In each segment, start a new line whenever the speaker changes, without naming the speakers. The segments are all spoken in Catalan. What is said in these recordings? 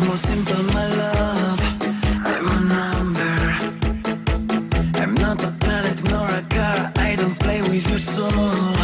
more simple, my love. I'm a number. I'm not a planet nor a car. I don't play with your soul.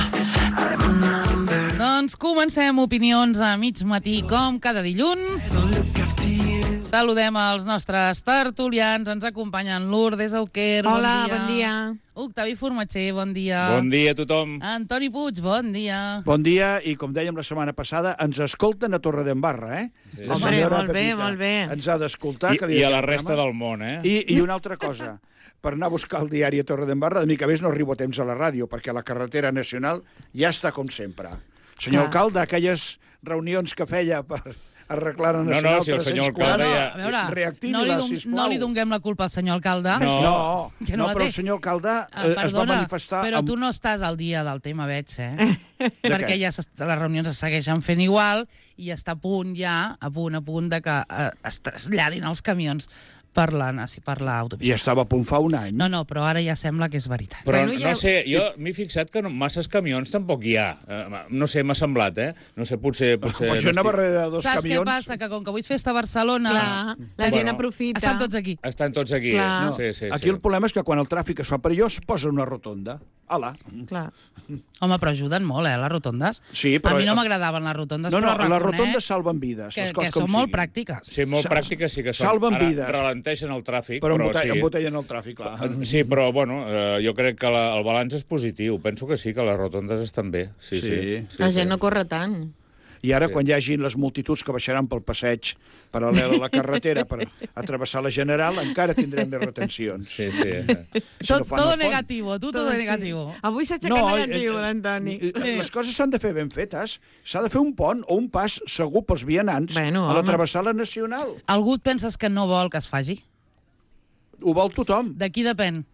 I'm a number.
Doncs comencem opinions a mig matí, com cada dilluns.
Don't look after you.
Saludem els nostres tertulians. Ens acompanyen Lourdes Auquer,
Hola,
bon dia.
bon dia.
Octavi Formatger, bon dia.
Bon dia a tothom.
Antoni Puig, bon dia.
Bon dia, i com dèiem la setmana passada, ens escolten a Torredembarra, eh?
Sí.
La
Hombre,
senyora
molt bé,
Pepita
molt bé.
ens ha d'escoltar. que li
I a
dediquem
la resta
programa.
del món, eh?
I una altra cosa, per anar a buscar el diari a Torredembarra, de mica més no arribo a temps a la ràdio, perquè la carretera nacional ja està com sempre. Senyor alcalde, aquelles reunions que feia per arreglar la nacional
si el senyor
340,
alcalde ja-
A veure,
reactivi-la, sisplau.
no li donguem la culpa al senyor alcalde.
No,
Que
no,
la
però
té.
el senyor alcalde es va
Perdona,
manifestar...
però
amb-
tu no estàs al dia del tema, veig, eh?
De
Perquè
què?
ja les reunions es segueixen fent igual i està a punt ja, a punt de que es traslladin els camions per l'autopista.
I estava a punt fa un any.
No, però ara ja sembla que és veritat.
Però
Bueno, ja-
no sé, jo m'he fixat que masses camions tampoc hi ha. No sé, m'ha semblat, eh? No sé, potser
Pues jo anava darrere de dos
Saps
camions.
què passa? Que com que avui és festa a Barcelona...
Clar, la gent
Bueno,
aprofita.
Estan tots aquí.
Estan tots aquí.
Clar.
No. Sí.
Aquí el problema és que quan el tràfic es fa perillós posa una rotonda. Ala.
Clar.
Home, però ajuden molt, les rotondes.
Sí, però-
A mi no m'agradaven les rotondes,
No,
però
les
reconec
rotondes salven vides,
que
les coses
són
com
molt
siguin.
pràctiques.
Sí, molt pràctiques sí que són.
Salven
Ara
vides.
ralenteixen el tràfic,
Però
però sí.
embotellen el tràfic, clar.
Sí, però, bueno, jo crec que el balanç és positiu. Penso que sí, que les rotondes estan bé. Sí.
La gent no corre tant.
I ara, quan hi hagin les multituds que baixaran pel passeig paral·lel a la carretera per atrevessar la General, encara tindrem més retencions.
Sí.
Si no fan
Todo
el pont.
negativo, todo negativo.
Avui s'ha aixecat negatiu, l'Antoni.
Les coses s'han de fer ben fetes. S'ha de fer un pont o un pas segur pels vianants
Bueno,
a
home.
travessar la Nacional.
Algú et penses que no vol que es faci?
Ho vol tothom.
De qui depèn?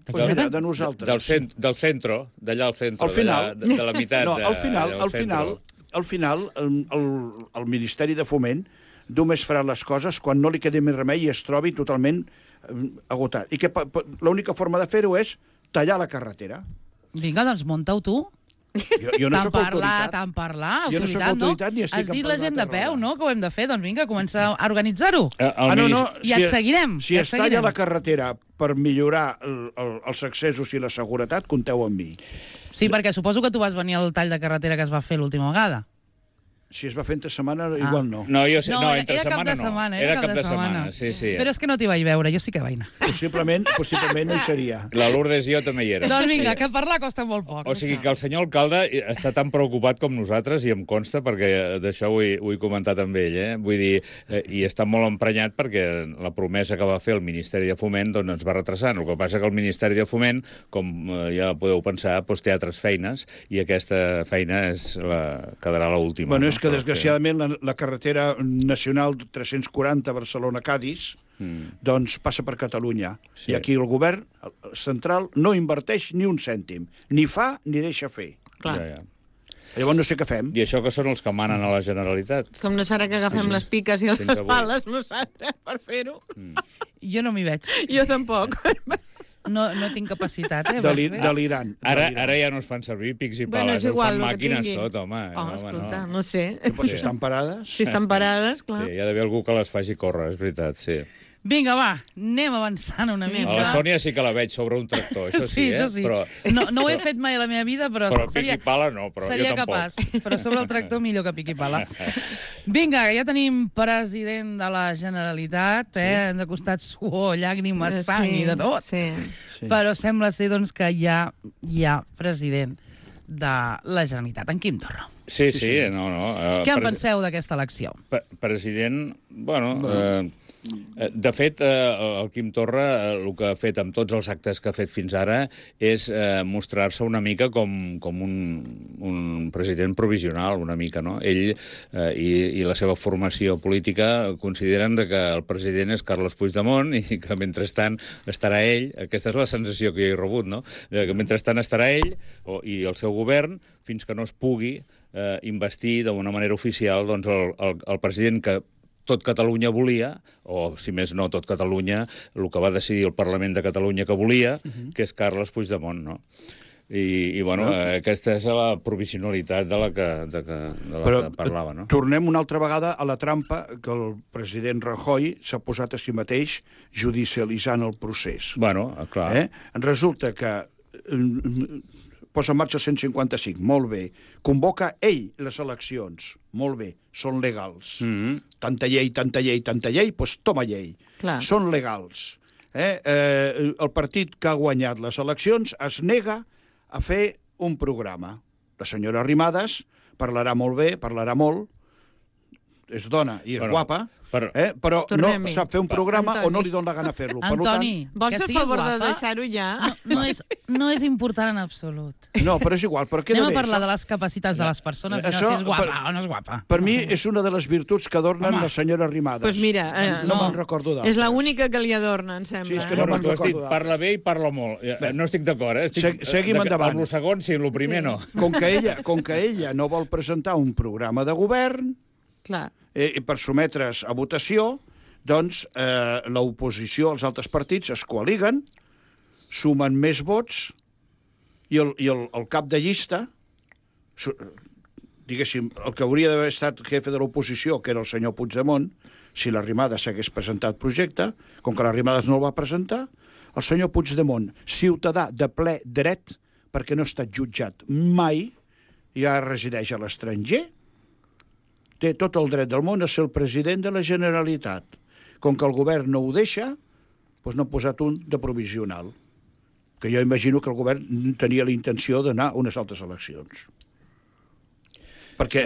Pues mira, de nosaltres.
Del centre, d'allà al centre.
Al final.
De la meitat.
No, al final,
del
al
centre.
final, al final, el Ministeri de Foment només farà les coses quan no li quedi més remei i es trobi totalment agotat. I que l'única forma de fer-ho és tallar la carretera.
Vinga, doncs munta-ho tu.
Jo no sóc autoritat.
Tant parlar,
Jo no sóc
autoritat,
autoritat ni estic
Has dit
en
la gent de
plena
peu, no?, que ho hem de fer. Doncs vinga, comença a organitzar-ho. I et seguirem.
Si es talla la carretera per millorar els accessos i la seguretat, compteu amb mi.
Sí, perquè suposo que tu vas venir al tall de carretera que es va fer l'última vegada.
Si es va fer entre setmana, igual no.
No, jo sé, no, entre
era
setmana
cap de
no.
setmana,
Era cap de setmana, sí.
Però és que no t'hi vaig veure, jo sí que vaig anar.
Possiblement no hi seria.
La Lourdes i jo també hi érem.
Doncs vinga, que parlar costa molt poc.
O sigui que el senyor alcalde està tan preocupat com nosaltres, i em consta, perquè d'això ho he comentat amb ell, Vull dir, i està molt emprenyat perquè la promesa que va fer el Ministeri de Foment doncs ens va retrasant. El que passa que el Ministeri de Foment, com ja podeu pensar, doncs té altres feines, i aquesta feina quedarà l'última.
Bueno, és que desgraciadament la carretera nacional 340 Barcelona-Cadis doncs passa per Catalunya.
Sí.
I aquí el govern central no inverteix ni un cèntim. Ni fa ni deixa fer.
Clar.
Ja.
Llavors no sé què fem.
I això que són els que manen a la Generalitat.
Com no serà que agafem les piques i les
Fins avui.
pales nosaltres per fer-ho?
Jo no m'hi veig.
Jo tampoc.
No tinc capacitat, per fer.
Delirant.
Ara ja no es fan servir pics i
Bueno,
pales,
és igual,
ho fan
el que
màquines
tinguin.
tot, home.
Escolta, no sé.
Però si estan parades...
Si estan parades, clar.
Sí, hi ha d'haver algú que les faci córrer, és veritat, sí.
Vinga, va, anem avançant una mica.
A la Sònia sí que la veig sobre un tractor, això sí,
això sí.
Però
No ho he fet mai a la meva vida, però
pic i pala no, però jo
seria
tampoc.
capaç. Però sobre el tractor millor que pic i pala. Vinga, ja tenim president de la Generalitat, Ens ha costat suor, llàgrimes, sang i de tot.
Sí.
Però sembla ser doncs, que ja hi ha president de la Generalitat, en Quim Torra.
Sí. No.
Què en penseu d'aquesta elecció?
President, bueno... De fet, el Quim Torra el que ha fet amb tots els actes que ha fet fins ara és mostrar-se una mica com un president provisional, una mica, no? Ell i la seva formació política consideren que el president és Carles Puigdemont i que mentrestant estarà ell, aquesta és la sensació que jo he rebut, no? Que mentrestant estarà ell i el seu govern fins que no es pugui investir d'una manera oficial doncs, el president que tot Catalunya volia, o si més no tot Catalunya, el que va decidir el Parlament de Catalunya que volia, que és Carles Puigdemont, no? bueno, aquesta és la provisionalitat de la que parlava, no?
Tornem una altra vegada a la trampa que el president Rajoy s'ha posat a si mateix judicialitzant el procés.
Bueno, clar.
Resulta que posa en marxa el 155, molt bé. Convoca ell les eleccions, molt bé, són legals. Tanta llei, doncs toma llei.
Clar.
Són legals. El partit que ha guanyat les eleccions es nega a fer un programa. La senyora Arrimadas parlarà molt bé, parlarà molt, és dona i és guapa, però no sap fer un programa o no li dona la gana fer-lo.
Antoni,
vols fer favor de deixar-ho ja?
No és important en absolut.
No, però és igual.
Anem a parlar de les capacitats de les persones i no si és guapa o no és guapa.
Per mi és una de les virtuts que adornen la senyora Arrimadas.
Doncs mira,
no me'n recordo d'altres.
És l'única que li adorna, em sembla.
Sí, és que no me'n
Tu has dit,
recordo
parla bé i parla molt. No estic d'acord,
Seguim endavant.
Amb el segon sí, amb el primer no.
Com que ella no vol presentar un programa de govern per sotmetre's a votació, doncs l'oposició, els altres partits es coaliguen, sumen més vots i el cap de llista, diguéssim, el que hauria d'haver estat jefe de l'oposició, que era el senyor Puigdemont, si l'Arrimadas s'hagués presentat projecte, com que l'Arrimadas no el va presentar, el senyor Puigdemont, ciutadà de ple dret, perquè no ha estat jutjat mai, ja resideix a l'estranger, té tot el dret del món a ser el president de la Generalitat. Com que el govern no ho deixa, doncs n'ha posat un de provisional, que jo imagino que el govern tenia la intenció d'anar a unes altres eleccions. Perquè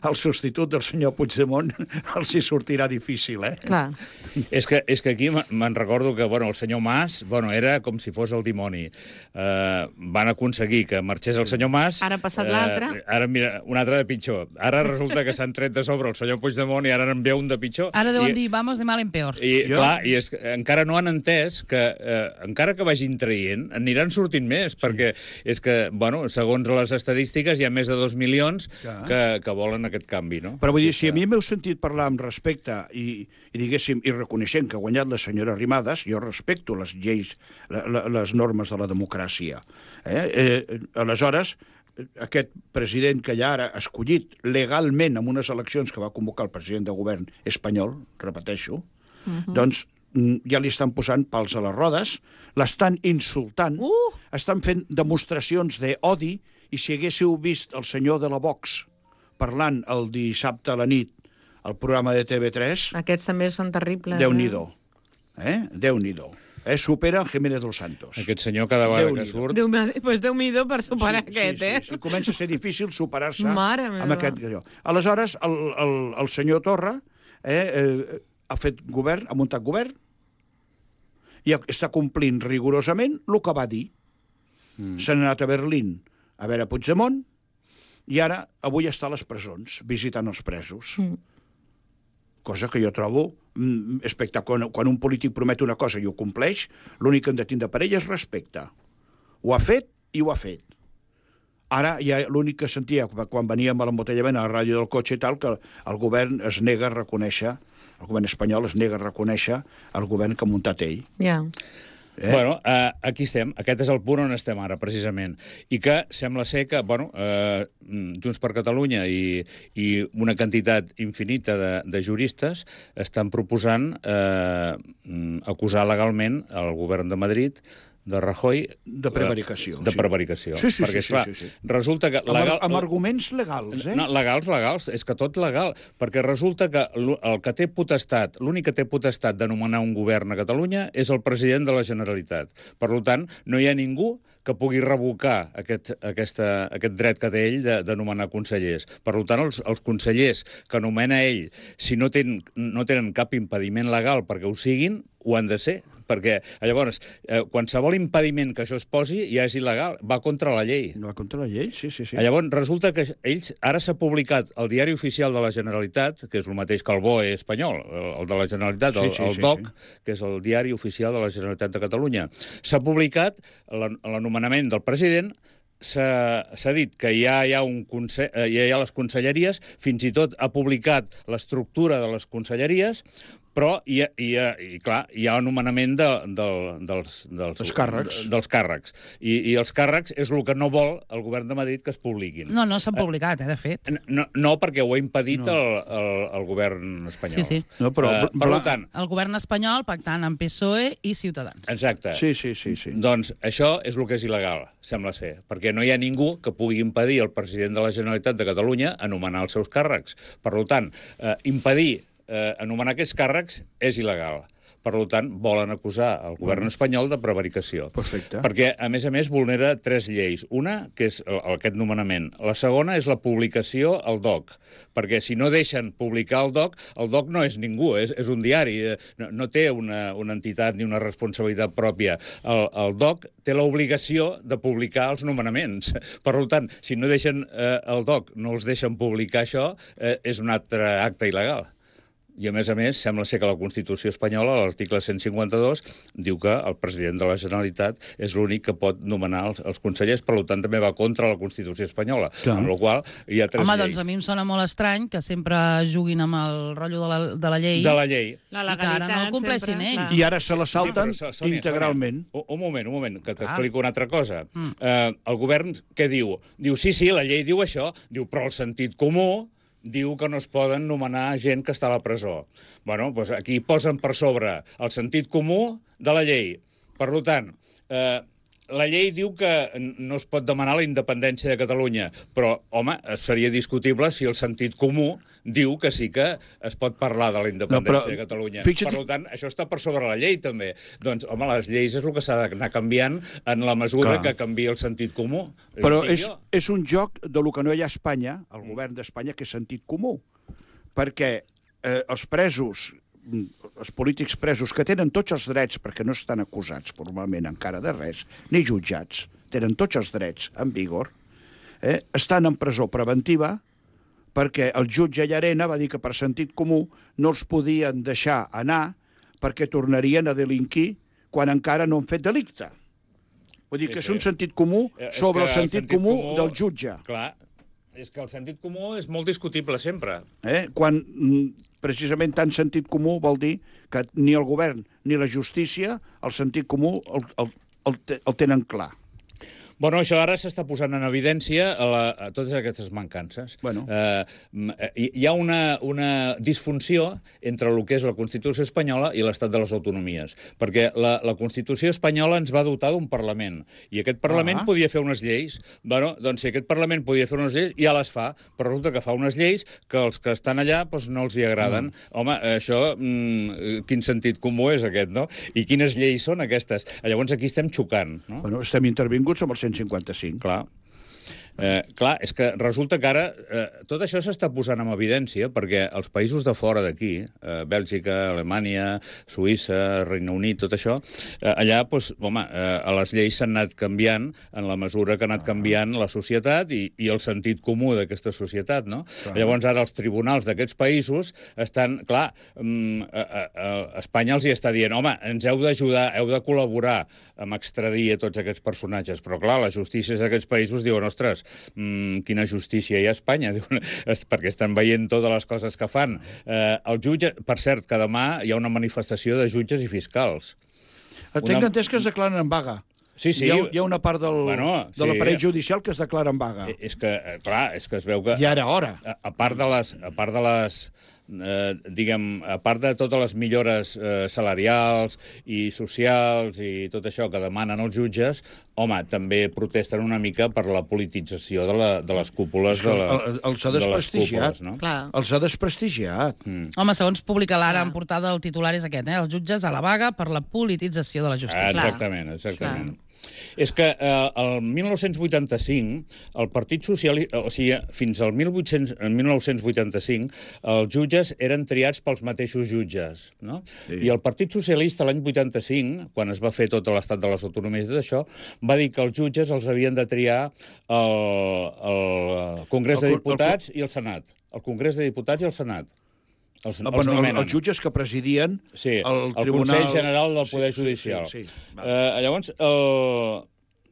el substitut del senyor Puigdemont els hi sortirà difícil,
Clar.
És que aquí me'n recordo que el senyor Mas era com si fos el dimoni. Van aconseguir que marxés el senyor Mas.
Ara ha passat l'altre.
Ara, mira, un altre de pitjor. Ara resulta que s'han tret de sobre el senyor Puigdemont i ara en ve un de pitjor.
Ara deuen dir, vamos de mal en peor.
Clar, i és que encara no han entès que, encara que vagin traient, aniran sortint més, perquè és que, segons les estadístiques, hi ha més de 2 milions que volen aquest canvi, no?
Però vull dir, si a mi m'heu sentit parlar amb respecte i diguéssim, i reconeixent que ha guanyat la senyora Arrimadas, jo respecto les lleis, les normes de la democràcia. Aleshores, aquest president que ja ara ha escollit legalment en unes eleccions que va convocar el president de govern espanyol, repeteixo, doncs ja li estan posant pals a les rodes, l'estan insultant, estan fent demostracions d'odi, i si haguéssiu vist el senyor de la Vox parlant el dissabte a la nit al programa de TV3...
Aquests també són terribles.
Déu-n'hi-do. Déu-n'hi-do. Supera el Jiménez dos Santos.
Aquest senyor cada vegada que surt...
Doncs Déu-n'hi-do per superar aquest,
Sí. Comença a ser difícil superar-se
amb
aquest... Aleshores, el senyor Torra ha fet govern, ha muntat govern, i està complint rigorosament el que va dir. S'han anat a Berlín a veure Puigdemont, i ara, avui està a les presons, visitant els presos. Cosa que jo trobo espectacular. Quan un polític promet una cosa i ho compleix, l'únic que hem de tindre per ell és respecte. Ho ha fet i ho ha fet. Ara, ja l'únic que sentia quan veníem a l'embotellament a la ràdio del cotxe i tal, que el govern es nega a reconèixer, el govern espanyol es nega a reconèixer el govern que ha muntat ell.
Ja.
Aquí estem. Aquest és el punt on estem ara, precisament. I que sembla ser que, Junts per Catalunya i una quantitat infinita de juristes estan proposant acusar legalment el govern de Madrid de Rajoy...
De prevaricació.
De prevaricació.
Sí.
Perquè, esclar, resulta que...
Amb arguments legals,
No, legals. És que tot legal. Perquè resulta que el que té potestat, l'únic que té potestat de nomenar un govern a Catalunya és el president de la Generalitat. Per tant, no hi ha ningú que pugui revocar aquest dret que té ell de nomenar consellers. Per tant, els consellers que nomena ell, si no tenen cap impediment legal perquè ho siguin, ho han de ser, perquè llavors qualsevol impediment que això es posi ja és il·legal, va contra la llei.
Va contra la llei, sí.
Llavors resulta que ara s'ha publicat al Diari Oficial de la Generalitat, que és el mateix que el BOE espanyol, el de la Generalitat, el DOC, que és el Diari Oficial de la Generalitat de Catalunya. S'ha publicat l'anomenament del president. S'ha dit que ja hi ha les conselleries, fins i tot ha publicat l'estructura de les conselleries, Però, clar, hi ha un nomenament dels
càrrecs.
Dels càrrecs. I els càrrecs és el que no vol el govern de Madrid que es publiquin.
No s'han publicat, de fet.
No, perquè ho ha impedit el govern espanyol.
Sí.
No, però,
per tant...
El govern espanyol pactant amb PSOE i Ciutadans.
Exacte.
Sí.
Doncs això és el que és il·legal, sembla ser, perquè no hi ha ningú que pugui impedir al president de la Generalitat de Catalunya anomenar els seus càrrecs. Per tant, impedir anomenar aquests càrrecs és il·legal. Per tant, volen acusar el govern espanyol de prevaricació.
Perfecte.
Perquè, a més, vulnera 3 lleis. Una, que és aquest nomenament. La segona és la publicació al DOC. Perquè si no deixen publicar el DOC no és ningú, és un diari. No té una entitat ni una responsabilitat pròpia. El DOC té l'obligació de publicar els nomenaments. Per tant, si no deixen el DOC, no els deixen publicar això, és un altre acte il·legal. I, a més, sembla ser que la Constitució espanyola, l'article 152, diu que el president de la Generalitat és l'únic que pot nomenar els consellers, per tant, també va contra la Constitució espanyola. Amb la qual hi ha 3 lleis.
Home, doncs a mi em sona molt estrany que sempre juguin amb el rotllo de la llei.
De la llei.
La
legalitat, i que ara no el compleixin ells.
I ara se la salten integralment.
Un moment, que t'explico una altra cosa. El govern què diu? Diu, sí, la llei diu això, diu, però el sentit comú diu que no es poden nomenar gent que està a la presó. Bueno, doncs aquí posen per sobre el sentit comú de la llei. Per tant, la llei diu que no es pot demanar la independència de Catalunya, però, home, seria discutible si el sentit comú diu que sí que es pot parlar de la independència de Catalunya. Per tant, això està per sobre la llei, també. Doncs, home, les lleis és el que s'ha d'anar canviant en la mesura que canvia el sentit comú.
Però és un joc de lo que no hi ha a Espanya, el govern d'Espanya, que és sentit comú. Perquè els presos, els polítics presos, que tenen tots els drets, perquè no estan acusats formalment encara de res, ni jutjats, tenen tots els drets en vigor, estan en presó preventiva perquè el jutge Llarena va dir que per sentit comú no els podien deixar anar perquè tornarien a delinquir quan encara no han fet delicte. Vull dir que és un sentit comú sobre el sentit comú del jutge.
Clar, és que el sentit comú és molt discutible sempre.
Quan precisament tant sentit comú vol dir que ni el govern ni la justícia el sentit comú el tenen clar.
Bueno, això ara s'està posant en evidència a totes aquestes mancances.
Bueno.
Hi ha una disfunció entre el que és la Constitució espanyola i l'Estat de les Autonomies, perquè la Constitució espanyola ens va dotar d'un Parlament, i aquest Parlament podia fer unes lleis. Bueno, doncs si aquest Parlament podia fer unes lleis, ja les fa, però resulta que fa unes lleis que els que estan allà no els hi agraden. Home, això, quin sentit comú és aquest, no? I quines lleis són aquestes? Llavors aquí estem xocant, no?
Bueno, estem intervinguts amb el 155.
Clar. Clar, és que resulta que ara tot això s'està posant en evidència perquè els països de fora d'aquí, Bèlgica, Alemanya, Suïssa, Regne Unit, tot això, allà, doncs, home, les lleis s'han anat canviant en la mesura que ha anat canviant la societat i el sentit comú d'aquesta societat, no? Llavors ara els tribunals d'aquests països estan, clar, Espanya els hi està dient, home, ens heu d'ajudar, heu de col·laborar amb extradir a tots aquests personatges, però clar, les justícies d'aquests països diuen, ostres, quina justícia hi ha a Espanya, perquè estan veient totes les coses que fan. El jutge, per cert, que demà hi ha una manifestació de jutges i fiscals.
Tinc entès que es declaren en vaga.
Sí.
Hi ha una part de l'aparell judicial que es declara en vaga.
És que, clar, és que es veu que...
I ara hora.
A part de les diguem, a part de totes les millores salarials i socials i tot això que demanen els jutges, home, també protesten una mica per la politització de les cúpules de
els ha desprestigiat.
No?
Els ha desprestigiat.
Home, segons publica l'Ara en portada, el titular és aquest, els jutges a la vaga per la politització de la justícia.
Exactament. És que el 1985, el Partit Socialista, o sigui, fins al 1985, els jutges eren triats pels mateixos jutges, no? Sí. I el Partit Socialista l'any 85, quan es va fer tot l'estat de les autonomies d'això, va dir que els jutges els havien de triar el Congrés de Diputats i el Senat. El Congrés de Diputats i el Senat. Els
jutges que presidien el
Consell General del Poder Judicial.
Sí.
Llavors,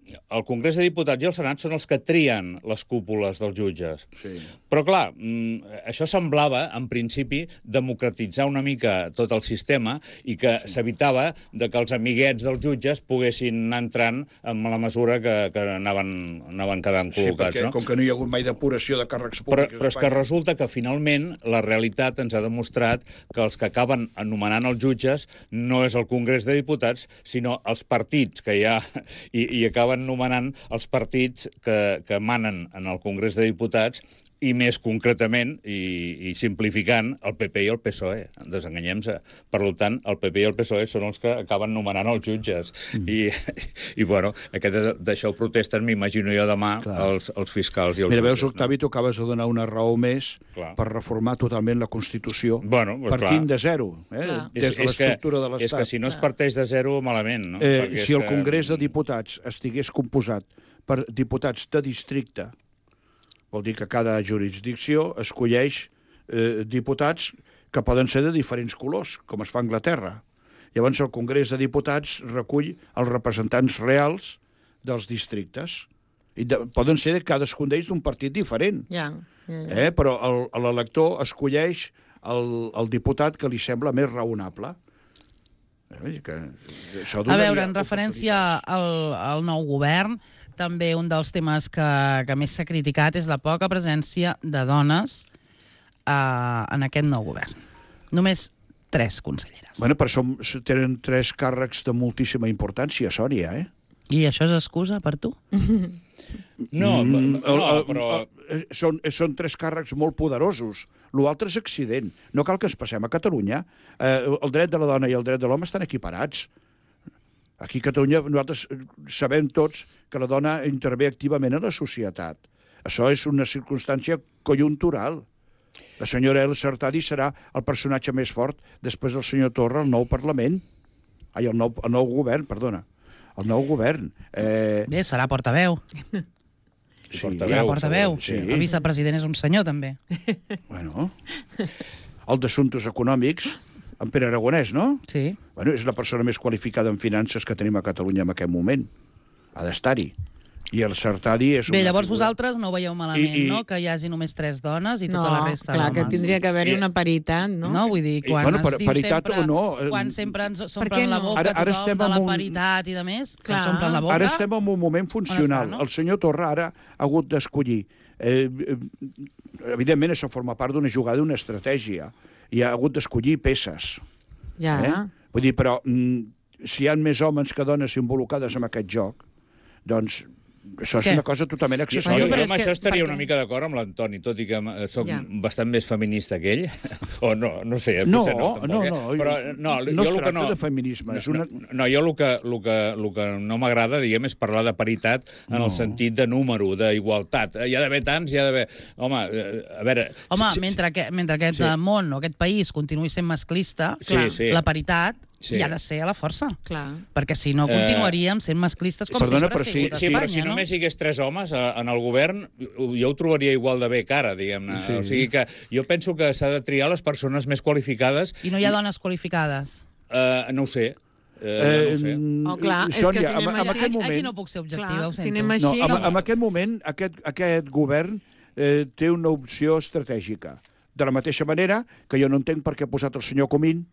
el Congrés de Diputats i el Senat són els que trien les cúpules dels jutges.
Sí.
Però, clar, això semblava, en principi, democratitzar una mica tot el sistema i que s'evitava de que els amiguets dels jutges poguessin anar entrant amb la mesura que anaven quedant col·locats.
Perquè,
no?
com que no hi ha hagut mai depuració de càrrecs
Però
públics
és que resulta que, finalment, la realitat ens ha demostrat que els que acaben anomenant els jutges no és el Congrés de Diputats, sinó els partits que hi ha i acaben nomenant els partits que manen en el Congrés de Diputats i més concretament, i simplificant, el PP i el PSOE. Desenganyem-se. Per tant, el PP i el PSOE són els que acaben nomenant els jutges. I bueno, d'això ho protesten, m'imagino jo demà, els fiscals i els
Mira,
jutges.
veus, Octavi, tu acabes de donar una raó més
Clar.
per reformar totalment la Constitució,
Bueno, pues
partint
clar.
de zero, des de l'estructura de
És que
l'Estat.
si no es parteix de zero, malament, no? Perquè
Si
és
el
que-
Congrés de Diputats estigués composat per diputats de districte, vol dir que cada jurisdicció escolleix diputats que poden ser de diferents colors, com es fa a Anglaterra. Llavors el Congrés de Diputats recull els representants reals dels districtes. I poden ser cadascun d'ells d'un partit diferent. Però l'elector escolleix el diputat que li sembla més raonable.
A veure, en referència al nou govern, també un dels temes que més s'ha criticat és la poca presència de dones en aquest nou govern. Només 3 conselleres.
Bueno, però tenen 3 càrrecs de moltíssima importància, Sònia,
I això és excusa per tu?
No, però...
Són 3 càrrecs molt poderosos. L'altre és accident. No cal que ens passem a Catalunya. El dret de la dona i el dret de l'home estan equiparats. Aquí a Catalunya nosaltres sabem tots que la dona intervé activament en la societat. Això és una circumstància conjuntural. La senyora Elsa Artadi serà el personatge més fort després del senyor Torra al nou Parlament. El nou govern, perdona. El nou govern.
Bé, serà portaveu.
Sí,
Serà portaveu.
Sí.
El vicepresident és un senyor, també.
Bueno, el d'Assumptes Econòmics, en Pere Aragonès, no?
Sí.
Bueno, és la persona més qualificada en finances que tenim a Catalunya en aquest moment. Ha d'estar-hi. I el Sartadi és una
Bé, llavors
figura...
vosaltres no ho veieu malament, no? Que hi hagi només 3 dones i tota la resta
clar,
d'homes.
que tindria que haver-hi una paritat, no?
No, vull dir, quan
Bueno,
es diu
paritat
sempre...
o no,
Quan sempre ens
què
s'omplen la
no?
boca
Ara
tothom
estem
de la
en un-
paritat i de més, que
Clar.
ens s'omplen la boca...
Ara estem en un moment funcional.
On està, no?
El senyor Torra ara ha hagut d'escollir. Evidentment, això forma part d'una jugada, d'una estratègia. I ha hagut d'escollir peces.
Ja.
Vull dir, però si hi ha més homes que dones involucrades en aquest joc, doncs això és
Què?
una cosa totalment
Jo,
accessòria.
però és
amb
que-
això estaria
perquè-
una mica d'acord amb l'Antoni, tot i que soc
Ja.
bastant més feminista que ell. O no sé,
No,
potser no, tampoc,
no,
Però,
no
jo
es
el que
tracta de feminisme. És una...
No, jo el que no m'agrada, diguem, és parlar de paritat en el sentit de número, d'igualtat. Hi ha d'haver tants, hi ha d'haver... Home, a veure...
Home, mentre aquest món o aquest país continuï sent masclista,
Sí.
la paritat
Sí.
hi ha de ser a la força.
Clar.
Perquè si no continuaríem sent masclistes com
Perdona,
sempre
però
ha sigut a
Sí,
Espanya,
però si
no?
només hi hagués 3 homes en el govern, jo ho trobaria igual de bé que ara, diguem-ne.
Sí.
O sigui que jo penso que s'ha de triar les persones més qualificades.
I no hi ha dones qualificades.
No ho sé. No ho sé.
Oh, clar, és que
Sònia,
si anem
en
així-
aquest
Aquí
moment...
no puc ser objectiva,
Clar,
ho
si
sento.
anem
No,
així...
en aquest moment, aquest govern té una opció estratègica. De la mateixa manera que jo no entenc per què ha posat el senyor Comín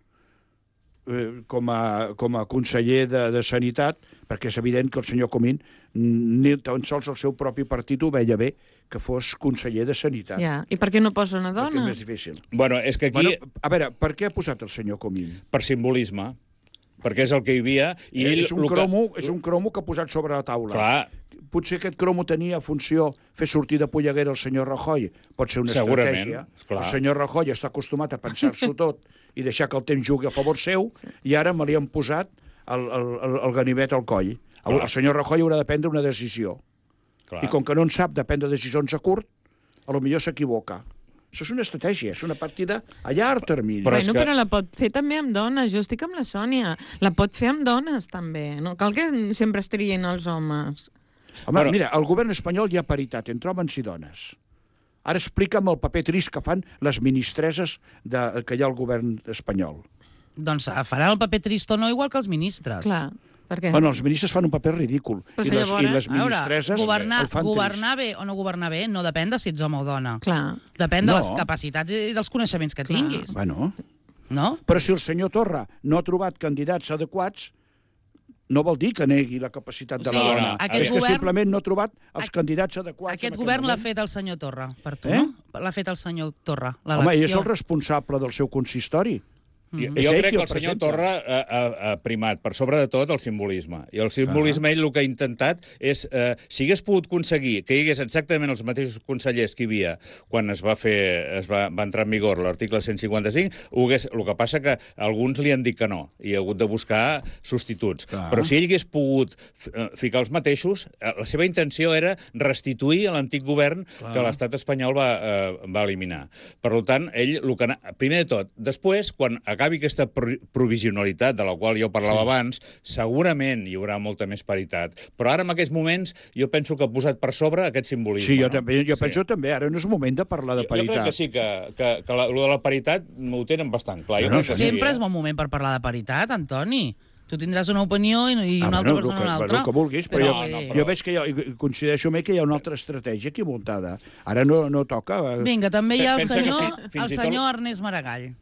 com a conseller de Sanitat, perquè és evident que el senyor Comín ni tan sols el seu propi partit ho veia bé que fos conseller de Sanitat.
Ja. I per què no posa una
Perquè és
dona?
més difícil.
Bueno, és que aquí,
A veure, per què ha posat el senyor Comín?
per simbolisme, perquè és el que hi havia... I ell,
És un cromo que ha posat sobre la taula.
Clar,
Potser aquest cromo tenia funció fer sortir de polleguera el senyor Rajoy. Pot ser una
Segurament,
estratègia.
esclar.
El senyor Rajoy està acostumat a pensar-s'ho tot i deixar que el temps jugui a favor seu, i ara me li han posat el ganivet al coll. El senyor Rajoy haurà de prendre una decisió.
clar.
I com que no en sap de prendre decisions a curt, potser s'equivoca. Això és una estratègia, és una partida a llarg termini.
Però és
Bueno,
que-
però la pot fer també amb dones. Jo estic amb la Sònia. La pot fer amb dones, també. No cal que sempre es triïn els homes.
Home, mira, al govern espanyol hi ha paritat entre homes i dones. Ara explica'm el paper trist que fan les ministreses que hi ha al govern espanyol.
Doncs farà el paper trist o no, igual que els ministres.
Clar. Per què?
Bueno, els ministres fan un paper ridícul.
Pues
I les
llavors,
ministresses el fan
governar bé o no governar bé no depèn de si ets home o dona.
Clar.
Depèn de
No.
les capacitats i dels coneixements que tinguis.
Bueno,
No?
però si el senyor Torra no ha trobat candidats adequats, no vol dir que negui la capacitat de
O
la
sigui,
dona.
aquest
És que
govern-
simplement no ha trobat els candidats adequats.
Aquest
en
govern l'ha
moment.
fet el senyor Torra, per tu,
Eh?
no? L'ha fet el senyor Torra,
Home, ell és
l'elecció.
el responsable del seu consistori.
Jo
És ell
crec
qui
que el senyor
presenta.
Torra ha primat, per sobre de tot, el simbolisme. I el simbolisme, ell el que ha intentat és, si hagués pogut aconseguir que hi hagués exactament els mateixos consellers que hi havia quan va entrar en vigor l'article 155, el que passa que alguns li han dit que no, i ha hagut de buscar substituts.
Clar.
Però si ell hagués pogut ficar els mateixos, la seva intenció era restituir a l'antic govern que l'estat espanyol va eliminar. Per tant, ell, primer de tot, després, quan acabi aquesta provisionalitat de la qual jo parlava abans, segurament hi haurà molta més paritat. Però ara, en aquests moments, jo penso que ha posat per sobre aquest simbolisme.
Sí, jo penso també. Ara no és moment de parlar de
Jo crec
paritat.
que sí, que lo de la paritat ho tenen bastant clar. Jo
Bueno,
crec que sí,
Sempre és bon moment per parlar de paritat, Antoni. Tu tindràs una opinió i una altra persona una altra.
El que vulguis, però jo veig que coincideixo amb ell que hi ha una altra estratègia aquí muntada. Ara no toca.
Vinga, també hi ha el
Pensa que
senyor, senyor Ernest Maragall.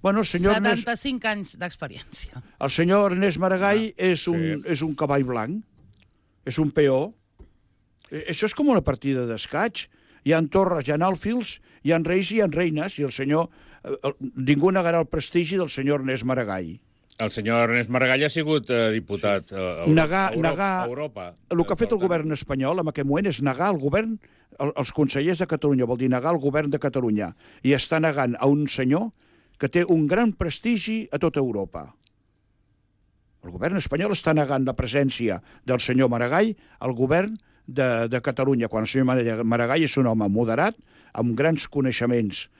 Bueno, el senyor
75 anys d'experiència.
El senyor Ernest Maragall és un cavall blanc, és un peó. Això és com una partida d'escaig. Hi ha torres, hi ha alfils, hi ha reis i hi ha reines, i el senyor... Ningú negarà el prestigi del senyor Ernest Maragall.
El senyor Ernest Maragall ha sigut diputat a Europa.
El que ha fet el govern espanyol en aquest moment és negar el govern, els consellers de Catalunya, vol dir negar el govern de Catalunya, i està negant a un senyor que té un gran prestigi a tota Europa. El govern espanyol està negant la presència del senyor Maragall al govern de Catalunya, quan el senyor Maragall és un home moderat, amb grans coneixements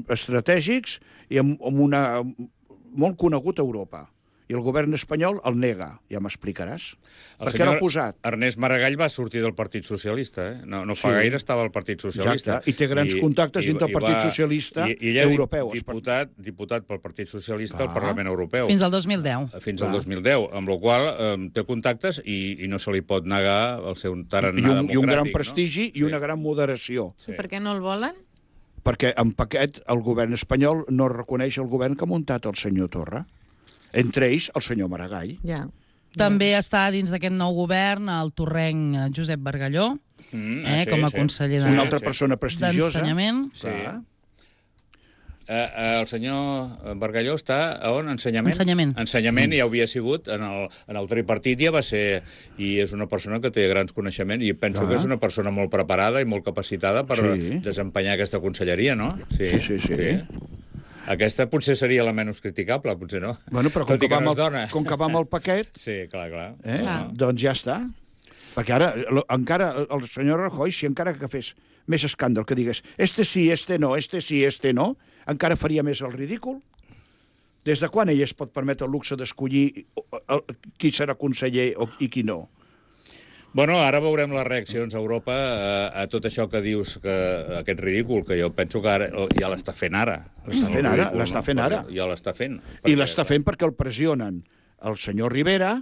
estratègics i molt conegut a Europa. I el govern espanyol el nega, ja m'explicaràs. Per què l'ha posat?
Ernest Maragall va sortir del Partit Socialista, No fa gaire estava al Partit Socialista.
Exacte, i té grans contactes dintre del Partit Socialista europeu.
Diputat pel Partit Socialista al Parlament Europeu.
Fins al 2010.
Fins al 2010, amb la qual té contactes i no se li pot negar el seu tarannà democràtic.
I un gran prestigi i una gran moderació.
Per què no el volen?
Perquè en paquet el govern espanyol no reconeix el govern que ha muntat el senyor Torra. Entre ells, el senyor Maragall.
Ja.
També està dins d'aquest nou govern el torrenc Josep Bargalló, com a conseller
Una altra persona prestigiosa.
d'Ensenyament.
Sí.
El senyor Bargalló està a on? Ensenyament? Ensenyament ja ho havia sigut, en el tripartit ja va ser, i és una persona que té grans coneixements, i penso que és una persona molt preparada i molt capacitada per desempenyar aquesta conselleria, no?
Sí.
Aquesta potser seria la menys criticable, potser no.
Bueno, però com que va amb el paquet...
Sí, clar.
Doncs ja està. Perquè ara, encara, el senyor Rajoy, si encara que fes més escàndol, que digués este sí, este no, encara faria més el ridícul. Des de quan ell es pot permetre el luxe d'escollir qui serà conseller i qui no?
Bueno, ara veurem les reaccions a Europa a tot això que dius, aquest ridícul, que jo penso que ara ja l'està fent ara.
L'està fent ara.
Ja l'està fent.
I l'està fent perquè el pressionen el senyor Rivera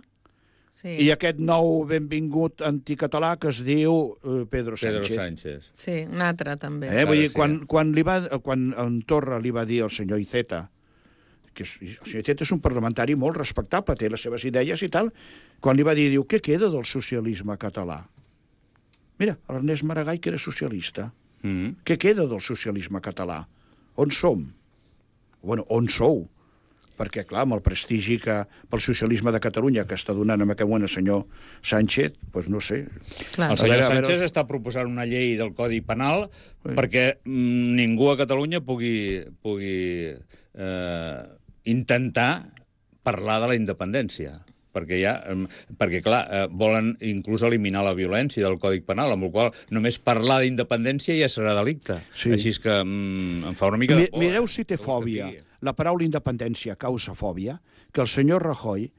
i aquest nou benvingut anticatalà que es diu Pedro Sánchez.
Sí, un altre també.
Vull dir, quan en Torra li va dir al senyor Iceta, que el senyor Iceta és un parlamentari molt respectable, té les seves idees i tal, quan li va dir, diu, què queda del socialisme català? Mira, l'Ernest Maragall, que era socialista. Què queda del socialisme català? On som? Bueno, on sou? Perquè, clar, amb el prestigi que pel socialisme de Catalunya que està donant en aquest moment el senyor Sánchez, doncs no sé.
El senyor Sánchez està proposant una llei del Codi Penal perquè ningú a Catalunya pugui intentar parlar de la independència. Perquè, clar, volen inclús eliminar la violència del Codi Penal, amb la qual només parlar d'independència ja serà delicte. Així és que em fa una mica de por.
Mireu si té fòbia. La paraula independència causa fòbia, que el senyor Rajoy,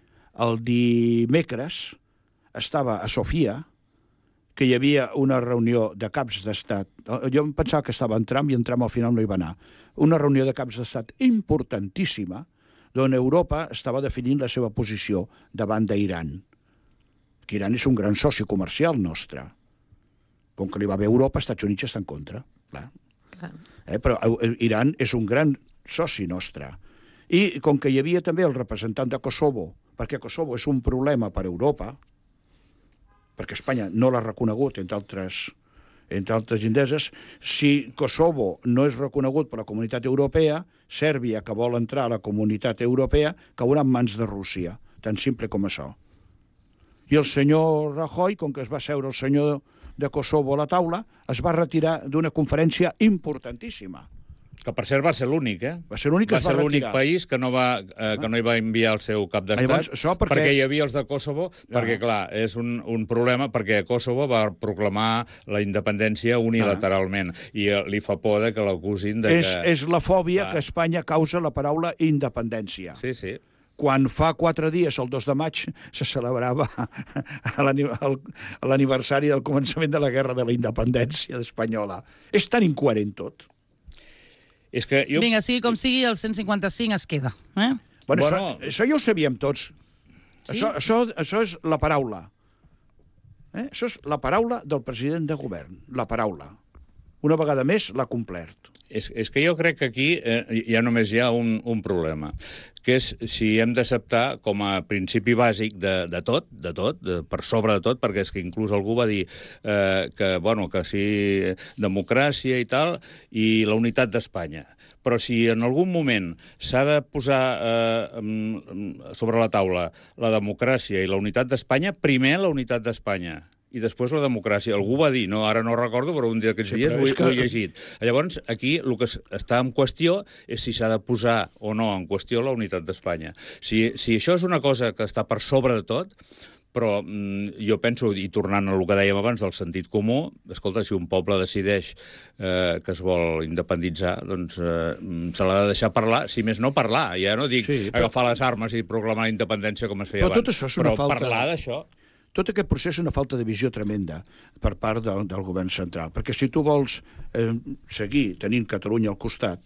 el dimecres, estava a Sofia, que hi havia una reunió de caps d'estat. Jo em pensava que estava en Trump i en Trump al final no hi va anar. Una reunió de caps d'estat importantíssima, d'on Europa estava definint la seva posició davant d'Iran. Que Iran és un gran soci comercial nostre. Com que li va bé Europa, Estats Units està en contra. Clar. Però Iran és un gran soci nostre. I com que hi havia també el representant de Kosovo, perquè Kosovo és un problema per Europa, perquè Espanya no l'ha reconegut, entre altres indeses, si Kosovo no és reconegut per la Comunitat Europea, Sèrbia, que vol entrar a la Comunitat Europea, caurà en mans de Rússia, tan simple com això. I el senyor Rajoy, com que es va seure el senyor de Kosovo a la taula, es va retirar d'una conferència importantíssima.
Que, per cert, va ser l'únic,
Va ser l'únic que es va retirar.
Va ser l'únic país que no hi va enviar el seu cap d'estat, perquè hi havia els de Kosovo, perquè, clar, és un problema, perquè Kosovo va proclamar la independència unilateralment, i li fa por que l'acusin de que...
És la fòbia que Espanya causa la paraula independència.
Sí, sí.
Quan fa 4 dies, el 2 de maig, se celebrava l'aniversari del començament de la Guerra de la Independència espanyola. És tan incoherent tot.
Vinga, sigui com sigui, el 155 es queda.
Bueno, això ja ho sabíem tots. Sí? Això és la paraula. Això és la paraula del president de govern. La paraula. Una vegada més l'ha complert.
És que jo crec que aquí ja només hi ha un problema, que és si hem d'acceptar com a principi bàsic de tot, per sobre de tot, perquè és que inclús algú va dir que sí, democràcia i tal, i la unitat d'Espanya. Però si en algun moment s'ha de posar sobre la taula la democràcia i la unitat d'Espanya, primer la unitat d'Espanya i després la democràcia. Algú va dir, ara no recordo, però un d'aquests dies ho he llegit. Llavors, aquí el que està en qüestió és si s'ha de posar o no en qüestió la unitat d'Espanya. Si això és una cosa que està per sobre de tot, però jo penso, i tornant a el que dèiem abans del sentit comú, escolta, si un poble decideix que es vol independitzar, doncs se l'ha de deixar parlar, si més no parlar, ja no dic agafar les armes i proclamar la independència com es feia abans,
però tot això és una falta...
parlar d'això...
Tot aquest procés és una falta de visió tremenda per part del govern central, perquè si tu vols seguir tenint Catalunya al costat,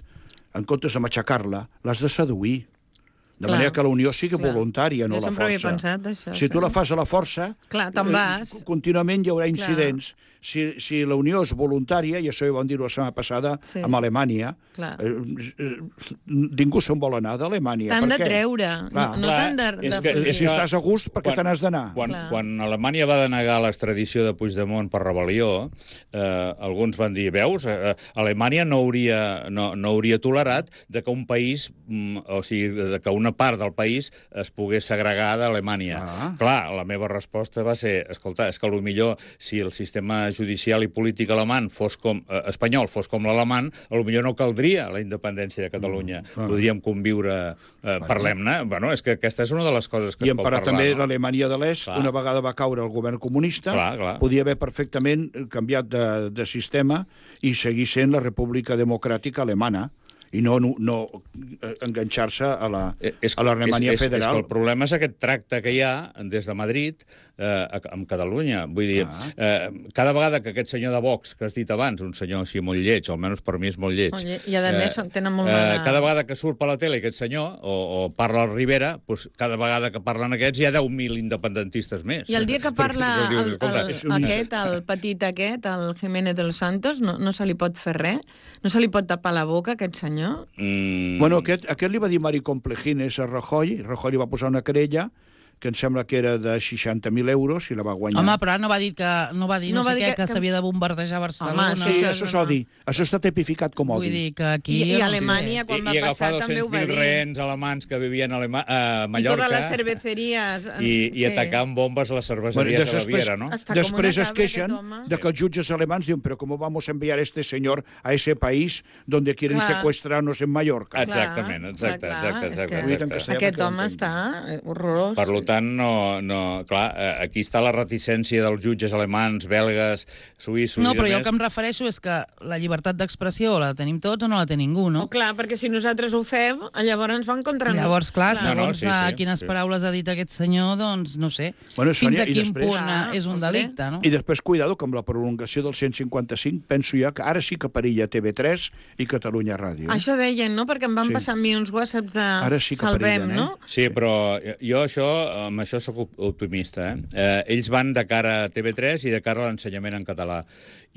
en comptes de matxacar-la, l'has de seduir. De manera que la unió sigui voluntària, no la força.
Jo sempre havia pensat això.
Si tu la fas a la força,
te'n vas.
Contínuament hi haurà incidents. Si la unió és voluntària, i això ho vam dir la setmana passada amb Alemanya, ningú se'n vol anar d'Alemanya.
T'han de treure. No t'han de...
Si estàs a gust, per què te n'has d'anar?
Quan Alemanya va denegar l'extradició de Puigdemont per rebel·lió, alguns van dir, veus, Alemanya no hauria tolerat que un país, o sigui, que una part del país es pogués segregar d'Alemanya. Clar, la meva resposta va ser, escolta, és que potser si el sistema judicial i polític espanyol fos com l'alemany, potser no caldria la independència de Catalunya. Podríem conviure, parlem-ne. Bueno, és que aquesta és una de les coses que es pot parlar.
I també l'Alemanya de l'Est, una vegada va caure el govern comunista, podia haver perfectament canviat de sistema i seguir sent la República Democràtica Alemana, i no enganxar-se a l'Alemanya federal.
És que el problema és aquest tracte que hi ha des de Madrid amb Catalunya. Vull dir, cada vegada que aquest senyor de Vox, que has dit abans, un senyor així molt lleig, almenys per mi és molt lleig,
i a més tenen molt mala...
Cada vegada que surt per la tele aquest senyor, o parla al Rivera, cada vegada que parlen aquests hi ha 10.000 independentistes més.
I el dia que parla el petit aquest, el Jiménez de los Santos, no se li pot fer res? No se li pot tapar la boca, aquest senyor?
Bueno, aquest li va dir Mari Complejines a Rajoy li va posar una querella que em sembla que era de 60.000 euros i la va guanyar.
Home, però no va dir que s'havia de bombardejar Barcelona.
Home, això és odi. Això està tipificat com odi.
Vull dir que aquí...
I Alemanya, quan va passar, també ho va dir.
I agafar 200.000 rehens alemans que vivien a Mallorca...
I totes les cerveceries...
I atacar amb bombes les cerveceries a Baviera, no?
Després es queixen de que els jutges alemans diuen però com vamos a enviar este señor a ese país donde quieren secuestrarnos en Mallorca?
Exactament, exacte.
Aquest home està horrorós.
Per tant, clar, aquí està la reticència dels jutges alemans, belgues, suïssos...
No, però jo el que em refereixo és que la llibertat d'expressió la tenim tots o no la té ningú, no?
Clar, perquè si nosaltres ho fem, llavors ens van contra nosaltres.
Llavors, clar, segons
sí,
quines paraules ha dit aquest senyor, doncs, no sé,
Bueno, Sònia,
fins a
i
quin
després-
punt és un delicte, no?
I després, cuidado, que amb la prolongació del 155, penso jo que ara sí que perilla TV3 i Catalunya Ràdio.
Això deien, no? Perquè em van
Sí.
passar a mi uns whatsapps de
Ara sí que
salvem,
perillen,
no?
Sí, però jo amb això sóc optimista. Ells van de cara a TV3 i de cara a l'ensenyament en català.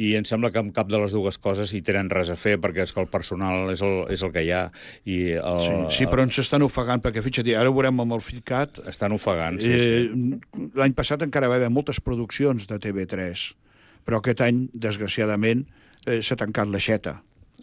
I em sembla que amb cap de les dues coses hi tenen res a fer, perquè és que el personal és el que hi ha. I
Sí, però ens estan ofegant, perquè fixa't, ara ho veurem amb el FICAT.
Estan ofegant, sí.
L'any passat encara va haver moltes produccions de TV3, però aquest any, desgraciadament, s'ha tancat l'aixeta.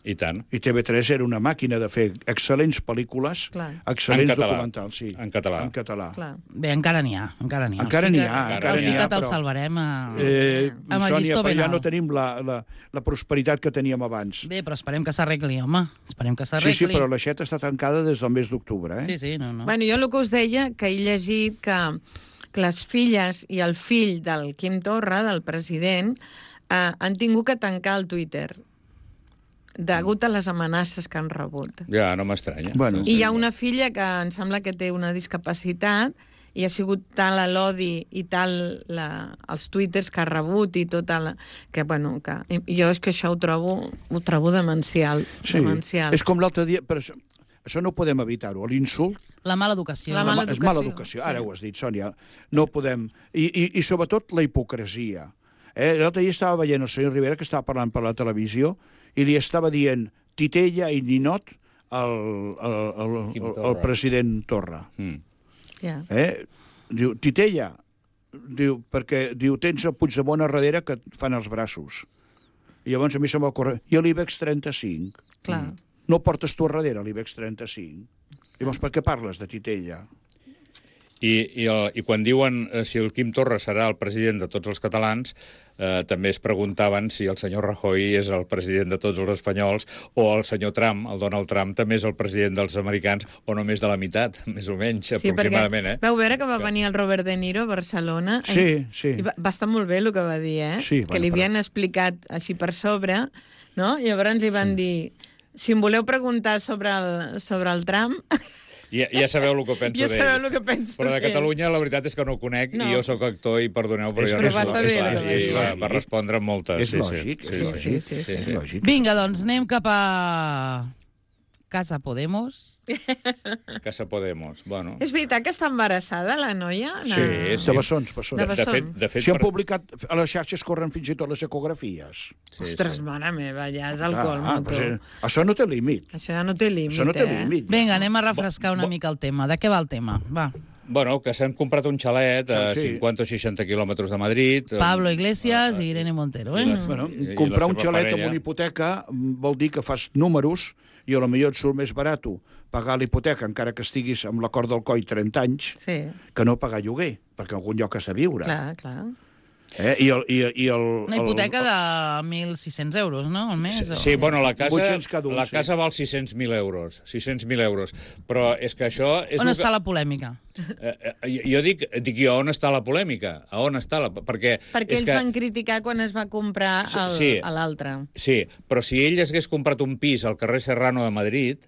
I tant.
I TV3 era una màquina de fer excel·lents pel·lícules,
Clar.
excel·lents
En català.
documentals. Sí.
En català.
En català.
Clar.
Bé, encara n'hi ha, encara n'hi ha.
Encara n'hi ha,
El
encara n'hi ha,
Ficat el
però...
salvarem amb el
Sònia,
llistó
però
ben
ja no
alt.
tenim la prosperitat que teníem abans.
Bé, però esperem que s'arregli, home. Esperem que
Sí,
s'arregli.
sí, però l'aixeta està tancada des del mes d'octubre,
Sí, sí, no.
Bueno, jo el que us deia, que he llegit que les filles i el fill del Quim Torra, del president, han tingut que tancar el Twitter degut a les amenaces que han rebut.
Ja, no m'estranya.
Bueno.
I hi ha una filla que em sembla que té una discapacitat i ha sigut tal l'odi i tal els twitters que ha rebut i tot que, bueno, que jo és que això ho trobo demencial.
Sí,
demencial.
és com l'altre dia, però això no podem evitar-ho, l'insult
La mala educació.
La mala
és mala
educació,
educació, ara
sí.
ho has dit, Sònia. No podem... I sobretot la hipocresia. L'altre dia estava veient el senyor Rivera, que estava parlant per la televisió, i li estava dient titella i ninot al president Torra.
Ja.
Diu, titella, diu, perquè diu, tens el Puigdemont a darrere que et fan els braços. I llavors a mi se m'ocorre, i l'IBEX 35?
Clar.
No portes tu a darrere l'IBEX 35? Llavors, per què parles de titella?
I quan diuen si el Quim Torra serà el president de tots els catalans, també es preguntaven si el senyor Rajoy és el president de tots els espanyols o el senyor Trump, el Donald Trump, també és el president dels americans o només de la meitat, més o menys, aproximadament.
Vau veure que va venir el Robert De Niro a Barcelona?
Sí, sí.
I va estar molt bé el que va dir,
Sí,
que li havien explicat així per sobre, no? I llavors li van dir, si em voleu preguntar sobre el Trump...
Ja sabeu el que penso
Ja
d'ell.
sabeu el que penso
Però de
d'ell.
Catalunya la veritat és que no ho conec
No.
i jo sóc actor i perdoneu, però jo
Però
no
va estar bé, el que va dir.
va respondre amb moltes.
És lògic, és lògic.
Sí.
És lògic.
Vinga, doncs anem cap a Casa Podemos.
Casa Podemos, bueno.
És veritat que està embarassada, la noia?
Sí,
De bessons, bessons.
De bessons.
De fet
Si han publicat, a les xarxes corren fins i tot les ecografies.
Ostres, mare meva, ja és el colmo, tu.
Això no té límit.
Això ja no té límit,
Això no té límit.
Vinga, anem a refrescar una mica el tema. De què va el tema? Va.
Bueno, que s'han comprat un xalet a
Sí.
50 o 60 quilòmetres de Madrid.
Pablo Iglesias i Irene Montero.
Bueno,
I
comprar
la
un
seva
xalet
parella.
amb una hipoteca vol dir que fas números i a lo millor et surt més barat pagar la hipoteca, encara que estiguis amb l'acord del COI 30 anys,
Sí,
que no pagar lloguer, perquè en algun lloc has de viure.
clar.
Una hipoteca de 1.600 euros, no? Al mes?
Sí, bueno, la
800 cada un, sí.
casa val 600.000 euros. 600.000 euros. Però és que això... És
On
el
està
que...
la polèmica?
Jo dic jo, on està la polèmica? A on està la... Perquè
Perquè ells van criticar quan es va comprar a l'altre.
Sí, però si ell hagués comprat un pis al carrer Serrano de Madrid,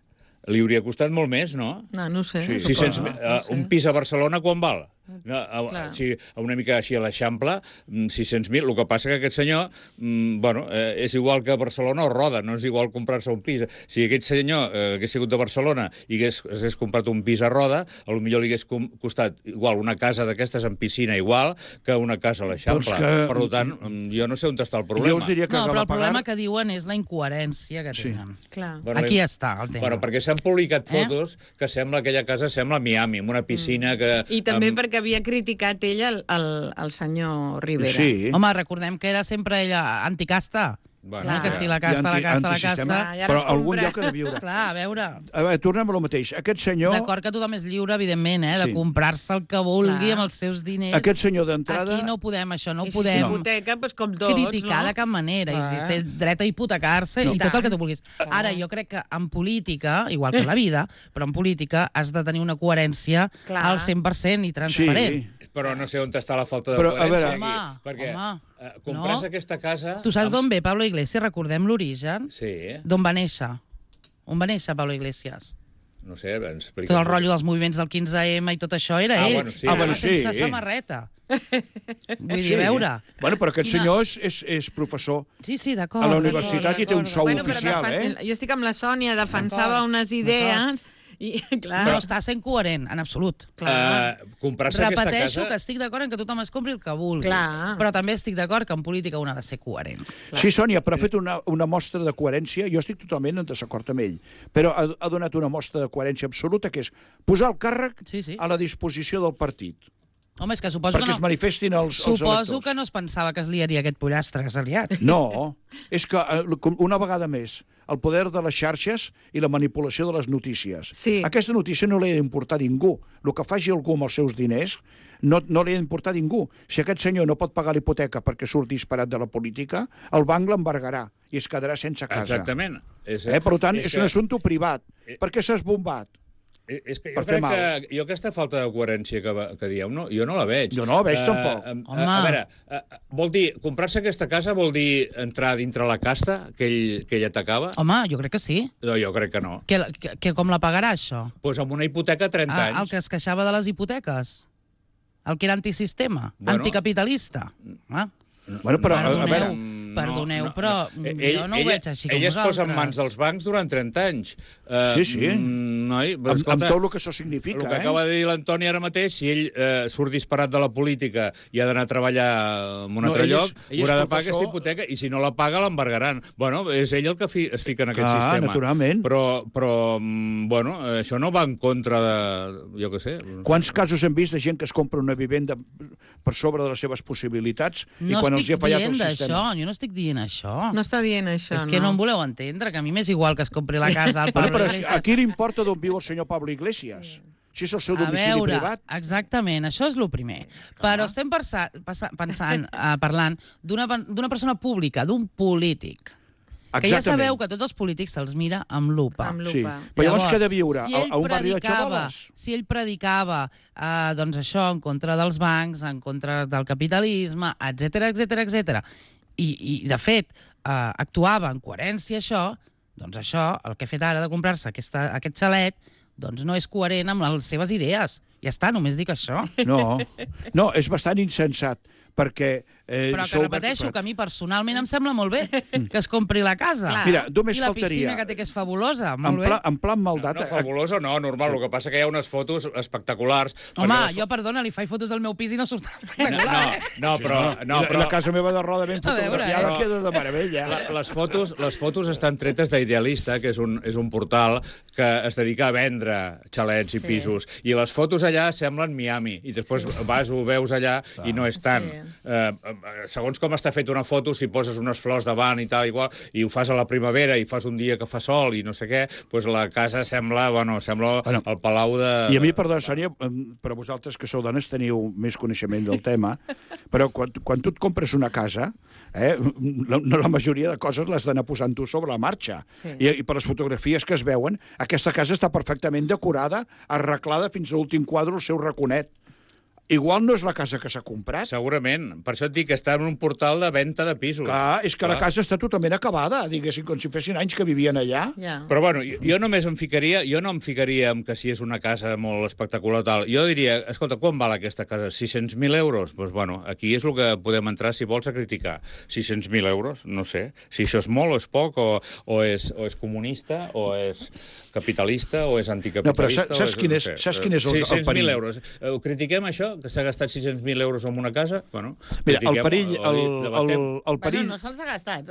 li hauria costat molt més, no?
No ho sé.
Sí.
600, un pis a Barcelona quan val? No,
Clar.
si una mica així a l'Eixample, 600.000. El que passa que aquest senyor, bueno, és igual que a Barcelona o Roda, no és igual comprar-se un pis. Si aquest senyor hagués sigut de Barcelona i hagués comprat un pis a Roda, potser li hagués costat igual una casa d'aquestes amb piscina igual que una casa a l'Eixample.
Però és que-
Per tant, jo no sé on està el problema.
Jo us diria que
No, però el
Galapagar...
problema que diuen és la incoherència que tenen.
Clar.
Bueno,
Aquí està el tema.
Bueno, perquè s'han publicat fotos que sembla aquella casa sembla Miami, amb una piscina que...
I també perquè havia criticat ella el senyor Rivera.
Sí.
Home, recordem que era sempre ella anticasta
Bueno,
Que si la casta, la casta, la
Antisistema,
casta...
I ara
però
es
algun
compra.
lloc ha de viure.
Clar, a veure...
A veure, tornem a lo mateix. Aquest senyor...
D'acord que tothom és lliure, evidentment, de
Sí.
comprar-se el que vulgui
Clar.
amb els seus diners.
Aquest senyor d'entrada...
Aquí no podem, això, no
I
ho
si
podem
s'hipoteca, doncs com tots,
criticar
no?
de cap manera. I si
Clar.
té dret a hipotecar-se
No.
i tot el que tu vulguis. Ara, jo crec que en política, igual que en la vida, però en política has de tenir una coherència
Clar.
al 100% i transparent.
Sí.
Però no sé on està la falta de
Però, a
coherència
veure-
aquí. Perquè
Home,
comprar-se
no.
aquesta casa...
Tu saps d'on ve Pablo Iglesias? Recordem l'origen.
Sí,
D'on va néixer? On va néixer Pablo Iglesias?
no sé, ens explica.
Tot el rotllo dels moviments del 15M i tot això era
Ah,
ell.
bueno, sí.
Ah, bueno,
Sense
sí.
samarreta. Vull dir, a veure...
Bueno, però aquest
Quina-
senyor és professor
Sí, sí, d'acord.
a la
d'acord,
universitat i té un
d'acord.
sou
Bueno, però
oficial,
jo estic amb la Sònia, defensava
D'acord,
unes idees i, clar,
Però està sent coherent, en absolut.
clar.
Comprar-se aquesta
Repeteixo
casa...
que estic d'acord en que tothom es compri el que vulgui.
Clar.
Però també estic d'acord que en política un ha de ser coherent.
Sí, Sònia, però ha fet una mostra de coherència. Jo estic totalment en desacord amb ell. Però ha donat una mostra de coherència absoluta, que és posar el càrrec
Sí, sí.
a la disposició del partit,
Home, és que suposo
perquè
que
es
no...
manifestin els
Suposo
electors.
que no es pensava que es liaria aquest pollastre que s'ha liat.
No, és que una vegada més, el poder de les xarxes i la manipulació de les notícies.
Sí.
Aquesta notícia no li ha d'importar a ningú. El que faci algú amb els seus diners no li ha d'importar a ningú. Si aquest senyor no pot pagar l'hipoteca perquè surt disparat de la política, el banc l'embargarà i es quedarà sense casa.
Exactament.
Per tant, és un
que-
assumpte privat. Per què s'ha esbombat?
És que
per
jo
fer
crec
mal.
que aquesta falta de coherència que dieu, jo no la veig.
Jo no la veig, tampoc.
Home.
A veure, vol dir, comprar-se aquesta casa vol dir entrar dintre la casta que ell atacava?
Home, jo crec que sí.
No, jo crec que no.
Que com la pagarà, això?
Doncs amb una hipoteca a 30
El
anys.
que es queixava de les hipoteques? El que era antisistema?
Bueno.
Anticapitalista? Ah.
Bueno, però, a
Perdoneu,
veure,
perdoneu, però jo no ho veig així com
ell es posa en
vosaltres.
mans dels bancs durant 30 anys.
Sí, sí.
Noi, però,
amb tot el que això significa,
el que acaba de dir l'Antoni ara mateix, si ell surt disparat de la política i ha d'anar a treballar en un altre lloc, haurà de pagar aquesta hipoteca, i si no la paga l'embargaran. Bueno, és ell el que es fica en aquest
Clar,
sistema.
naturalment.
Però bueno, això no va en contra de... Jo què sé.
Quants casos hem vist de gent que es compra una vivenda per sobre de les seves possibilitats i
No
quan els hi
estic
ha fallat
dient
el
d'això,
sistema?
jo no estic dient això.
No està dient això,
És que no em voleu entendre, que a mi m'és igual que es compri la casa al
Bueno,
Pablo
però
Iglesias.
a qui li importa d'on viu el senyor Pablo Iglesias? Si és el seu
A
domicili
veure,
privat?
exactament, això és el primer. Però estem parlant d'una persona pública, d'un polític, que ja sabeu que tots els polítics se'ls mira amb lupa.
Amb
Sí.
lupa.
Però llavors què ha de viure?
si ell
A un barri de
predicava-
xavoles?
Si ell predicava doncs això, en contra dels bancs, en contra del capitalisme, etc, i de fet actuava en coherència això, doncs això, el que ha fet ara de comprar-se aquest xalet, doncs no és coherent amb les seves idees. Ja està, només dic això.
No, és bastant insensat, perquè...
Però que repeteixo que a mi personalment em sembla molt bé que es compri la casa.
Clar.
Mira, només
I la
faltaria...
piscina que té, que és fabulosa, molt bé.
En plan maldat...
No, fabulosa no, normal. El que passa que hi ha unes fotos espectaculars.
Home,
perquè les
jo, perdona, li faig fotos al meu pis i no surten
No,
espectaculars.
I la casa meva de roda ben
A veure,
fotografiada queda de meravella.
Les fotos estan tretes d'Idealista, que és un portal que es dedica a vendre xalets i pisos. I les fotos allà semblen Miami. I després ho veus allà i no és tant. Segons com està fet una foto, si poses unes flors davant i tal, igual, i ho fas a la primavera i fas un dia que fa sol i no sé què, doncs la casa sembla el palau de...
I a mi, perdó, Sònia, però vosaltres que sou dones teniu més coneixement del tema, però quan tu et compres una casa, la majoria de coses les d'anar posant tu sobre la marxa.
Sí.
I per les fotografies que es veuen, aquesta casa està perfectament decorada, arreglada fins a l'últim quadre, el seu raconet. Igual no és la casa que s'ha comprat.
Segurament. Per això et dic que està en un portal de venda de pisos.
Clar, és que la casa està totalment acabada, diguéssim, com si fessin anys que vivien allà.
Ja.
Però bueno, jo només em ficaria en que si és una casa molt espectacular tal. Jo diria, escolta, quan val aquesta casa? 600.000 euros? Doncs bueno, aquí és el que podem entrar si vols a criticar. 600.000 euros? No sé. Si això és molt o és poc, o és comunista, o és capitalista, o és anticapitalista...
No, però saps quin és el perill?
600.000 euros. Ho critiquem, això? que s'ha gastat 600.000 euros en una casa, bueno...
Mira, el
critiquem,
perill... El perill...
Bueno, no se'ls ha gastat,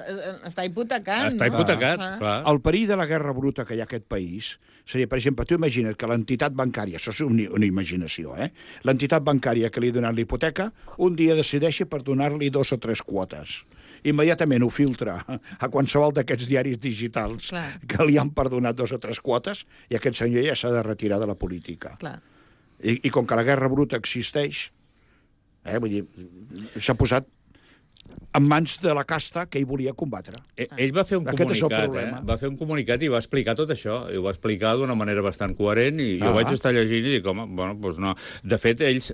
està hipotecant.
Està hipotecat, clar.
El perill de la guerra bruta que hi ha a aquest país seria, per exemple, tu imagina't que l'entitat bancària, això és una imaginació, l'entitat bancària que li ha donat la hipoteca, un dia decideixi per donar-li 2 o 3 quotes. Immediatament ho filtra a qualsevol d'aquests diaris digitals que li han perdonat 2 o 3 quotes i aquest senyor ja s'ha de retirar de la política.
Clar.
I com que la guerra bruta existeix, vull dir, s'ha posat en mans de la casta que ell volia combatre.
Ell va fer un comunicat, va fer un comunicat i va explicar tot això, i ho va explicar d'una manera bastant coherent, i jo vaig estar llegint i dic, home, bueno, doncs no. De fet, ells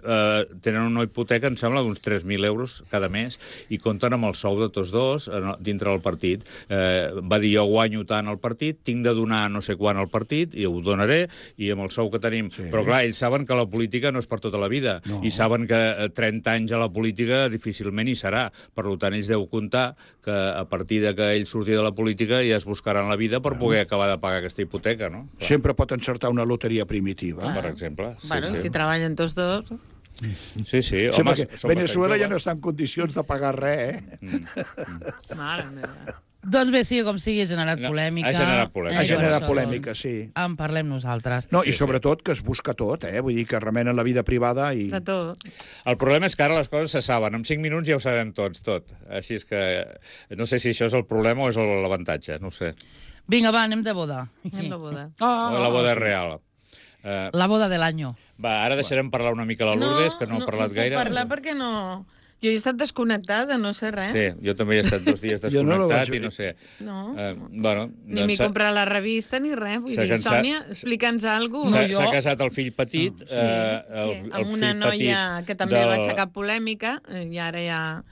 tenen una hipoteca, em sembla, d'uns 3.000 euros cada mes, i compten amb el sou de tots dos dintre del partit. Va dir, jo guanyo tant al partit, tinc de donar no sé quant al partit, i ho donaré, i amb el sou que tenim. Però, clar, ells saben que la política no és per tota la vida, i saben que 30 anys a la política difícilment hi serà. Per tant, ells deu comptar que a partir de que ell surti de la política ja es buscaran la vida per poder acabar de pagar aquesta hipoteca, no?
Sempre pot encertar una loteria primitiva.
Per exemple.
Bueno, si treballen tots dos...
Sí, home,
Venezuela ja no està en condicions de pagar res,
Mare meva.
Doncs bé, sigui com sigui, ha generat polèmica.
Ha generat polèmica.
Ha generat polèmica, sí.
En parlem nosaltres.
No, i sobretot que es busca tot, vull dir que remenen la vida privada i...
De tot.
El problema és que ara les coses se saben. En 5 minuts ja ho sabem tots, tot. Així és que no sé si això és el problema o és l'avantatge, no ho sé.
Vinga, va, anem de boda.
Anem de boda.
O la boda real.
La boda de l'any.
Va, ara deixarem parlar una mica la Lourdes, que no ha parlat gaire.
No puc parlar perquè no... Jo he estat desconnectada, no sé res.
Sí, jo també he estat 2 dies desconnectat i no sé.
No.
Bueno,
ni m'he comprat la revista ni res. Vull dir, Sònia, explica'ns alguna cosa.
S'ha casat el fill petit.
Amb una noia que també va aixecar polèmica i ara ja...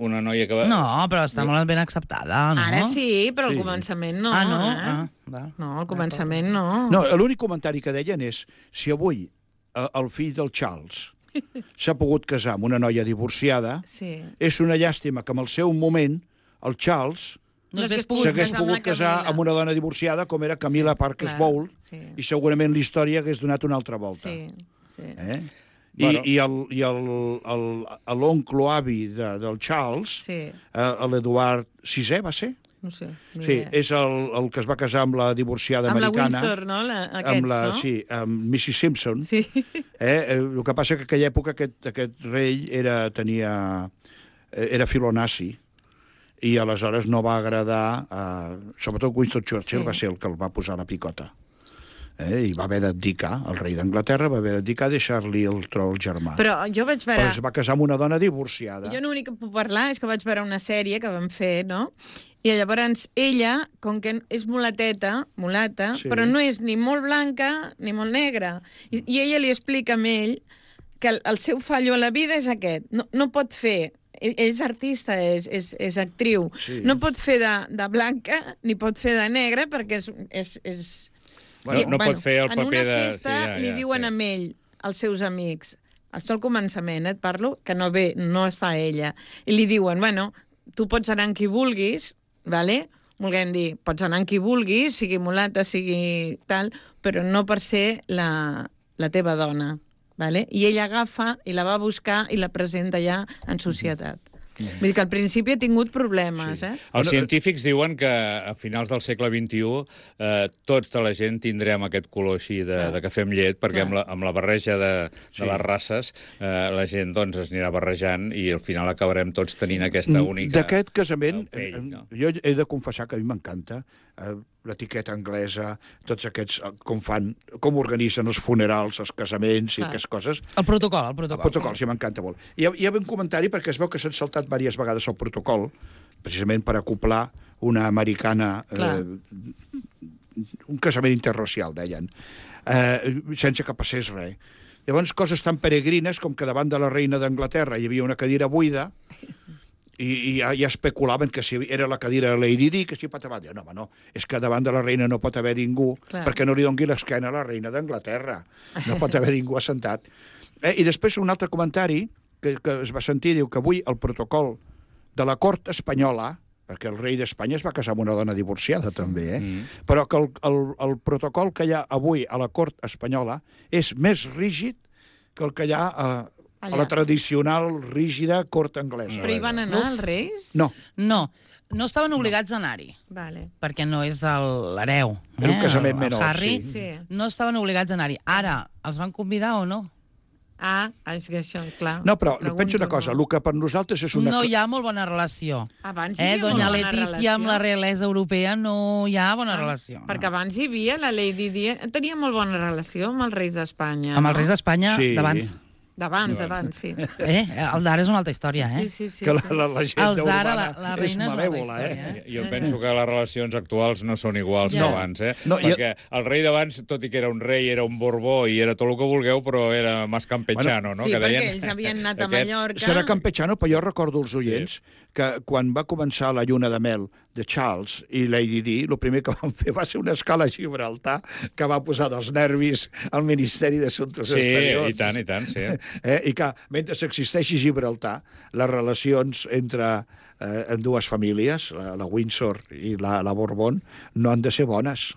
Una noia que va...
No, però està molt ben acceptada, no?
Ara sí, però al començament no.
Ah, no?
No, al començament no.
No, l'únic comentari que deien és si avui el fill del Charles s'ha pogut casar amb una noia divorciada, és una llàstima que en el seu moment el Charles s'hagués pogut casar amb una dona divorciada com era Camila Parker Bowles i segurament la història hagués donat una altra volta. I l'oncle avi del Charles, l'Eduard VI, va ser?
No sé.
Sí, és el que es va casar amb la divorciada americana.
Amb la Windsor, no? Aquests, no?
Sí, amb Mrs. Simpson.
Sí.
El que passa que en aquella època aquest rei era filonazi i aleshores no va agradar, sobretot Winston Churchill va ser el que el va posar a la picota. I va haver d'abdicar, el rei d'Anglaterra va haver d'abdicar, deixar-li el tron al germà.
Però jo vaig veure...
Però es va casar amb una dona divorciada.
Jo l'únic que puc parlar és que vaig veure una sèrie que van fer, no? I llavors ella, com que és mulata, però no és ni molt blanca ni molt negra. I ella li explica a ell que el seu fallo a la vida és aquest. No pot fer... Ell és artista, és actriu. No pot fer de blanca ni pot fer de negra perquè és
no pot fer el paper de...
En una festa li diuen a ell, als seus amics, això al començament, et parlo, que no està ella, i li diuen, bueno, tu pots anar amb qui vulguis, vale? Volguem dir, pots anar amb qui vulguis, sigui mulata, sigui tal, però no per ser la teva dona. Vale? I ella agafa i la va buscar i la presenta ja en societat. Vull dir que al principi ha tingut problemes,
Els científics diuen que a finals del segle XXI tota la gent tindrem aquest color així de cafè amb llet, perquè amb la barreja de les races la gent doncs es anirà barrejant i al final acabarem tots tenint aquesta única...
D'aquest casament, jo he de confessar que a mi m'encanta l'etiqueta anglesa, tots aquests, com organitzen els funerals, els casaments i aquestes coses.
El protocol.
El protocol, sí, m'encanta molt. Hi ha un comentari, perquè es veu que s'han saltat diverses vegades el protocol, precisament per acoplar una americana, un casament interracial, deien, sense que passés res. Llavors, coses tan peregrines com que davant de la reina d'Anglaterra hi havia una cadira buida, i ja especulaven que si era la cadira de Lady Di, que si pot haver... No, home, no, és que davant de la reina no pot haver ningú, perquè no li doni l'esquena a la reina d'Anglaterra. No pot haver ningú assentat. I després un altre comentari que es va sentir, diu que avui el protocol de la cort espanyola, perquè el rei d'Espanya es va casar amb una dona divorciada també, però que el protocol que hi ha avui a la cort espanyola és més rígid que el que hi ha a la tradicional, rígida cort anglesa.
Però hi van anar els reis?
No,
No estaven obligats a anar-hi,
Vale.
perquè no és l'hereu.
Era un casament
El
menor,
Harry
sí.
no estaven obligats a anar-hi. Ara, els van convidar o no?
És que això, clar.
no, però
Pregunto,
penso una cosa, el que per nosaltres és una...
No hi ha molt bona relació.
Abans hi havia
Doña
molt bona
Letícia amb la
relació.
realesa europea no hi ha bona relació.
Perquè abans hi havia la Lady Di... Tenia molt bona relació amb els reis d'Espanya.
Amb els reis d'Espanya,
Sí.
d'abans.
D'abans, sí.
El d'ara és una altra història,
Sí.
Que la gent
Els d'ara,
urbana
la
és
reina és una altra
malèvola,
història.
Jo penso que les relacions actuals no són iguals
Ja.
que abans,
No,
perquè el rei d'abans, tot i que era un rei, era un Borbó i era tot el que vulgueu, però era más campechano, no?
Sí,
que
perquè
deien...
ells havien anat a
Aquest-
Mallorca.
Serà campechano, però jo recordo els oients que quan va començar la lluna de mel de Charles i Lady Di, el primer que van fer va ser una escala a Gibraltar que va posar dels nervis al Ministeri d'Assumptes Exteriors.
I tant, sí.
I que, mentre existeixi Gibraltar, les relacions entre dues famílies, la Windsor i la Borbón, no han de ser bones.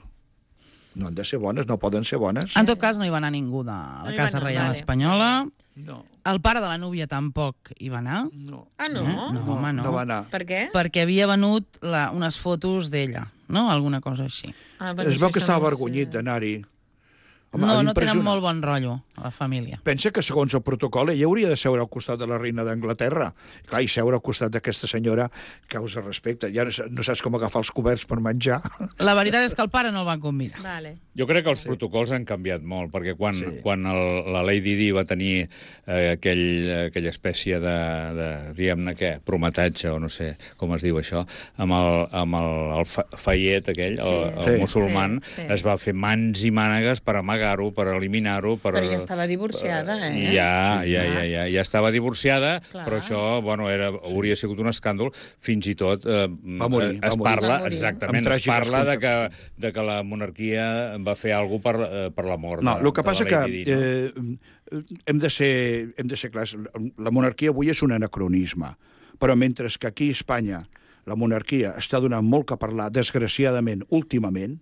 No han de ser bones, no poden ser bones.
En tot cas, no hi va anar ningú de la
hi
Casa
va anar,
Reial
vale.
Espanyola.
No,
El pare de la núvia tampoc hi va anar.
no.
Ah, no?
No, home, no.
No va anar.
Per què?
Perquè havia venut unes fotos d'ella, no? Alguna cosa així.
Es veu que estava avergonyit d'anar-hi. Home,
No tenen
impressionant.
molt bon rotllo, a la família.
Pensa que, segons el protocol, ella hauria de seure al costat de la reina d'Anglaterra. Clar, i seure al costat d'aquesta senyora causa respecte. Ja no saps com agafar els coberts per menjar.
La veritat és que el pare no el van convidar.
Vale.
Jo crec que els protocols han canviat molt, perquè quan la Lady Di va tenir aquella espècie de diguem-ne què, prometatge, o no sé com es diu això, amb el Fayet aquell, el musulman,
Sí.
es va fer mans i mànegues per amagar-ho, per eliminar-ho...
Però ja estava divorciada,
Ja estava divorciada,
Clar.
però això, bueno, hauria sigut un escàndol, fins i tot
Va morir.
es parla,
Va morir.
exactament,
Amb
es parla
tràgiques
de que la monarquia va fer alguna cosa per la mort.
No, el que passa
de
que
la Lady Di, no?
hem de ser clars. La monarquia avui és un anacronisme, però mentre que aquí a Espanya la monarquia està donant molt que parlar, desgraciadament, últimament,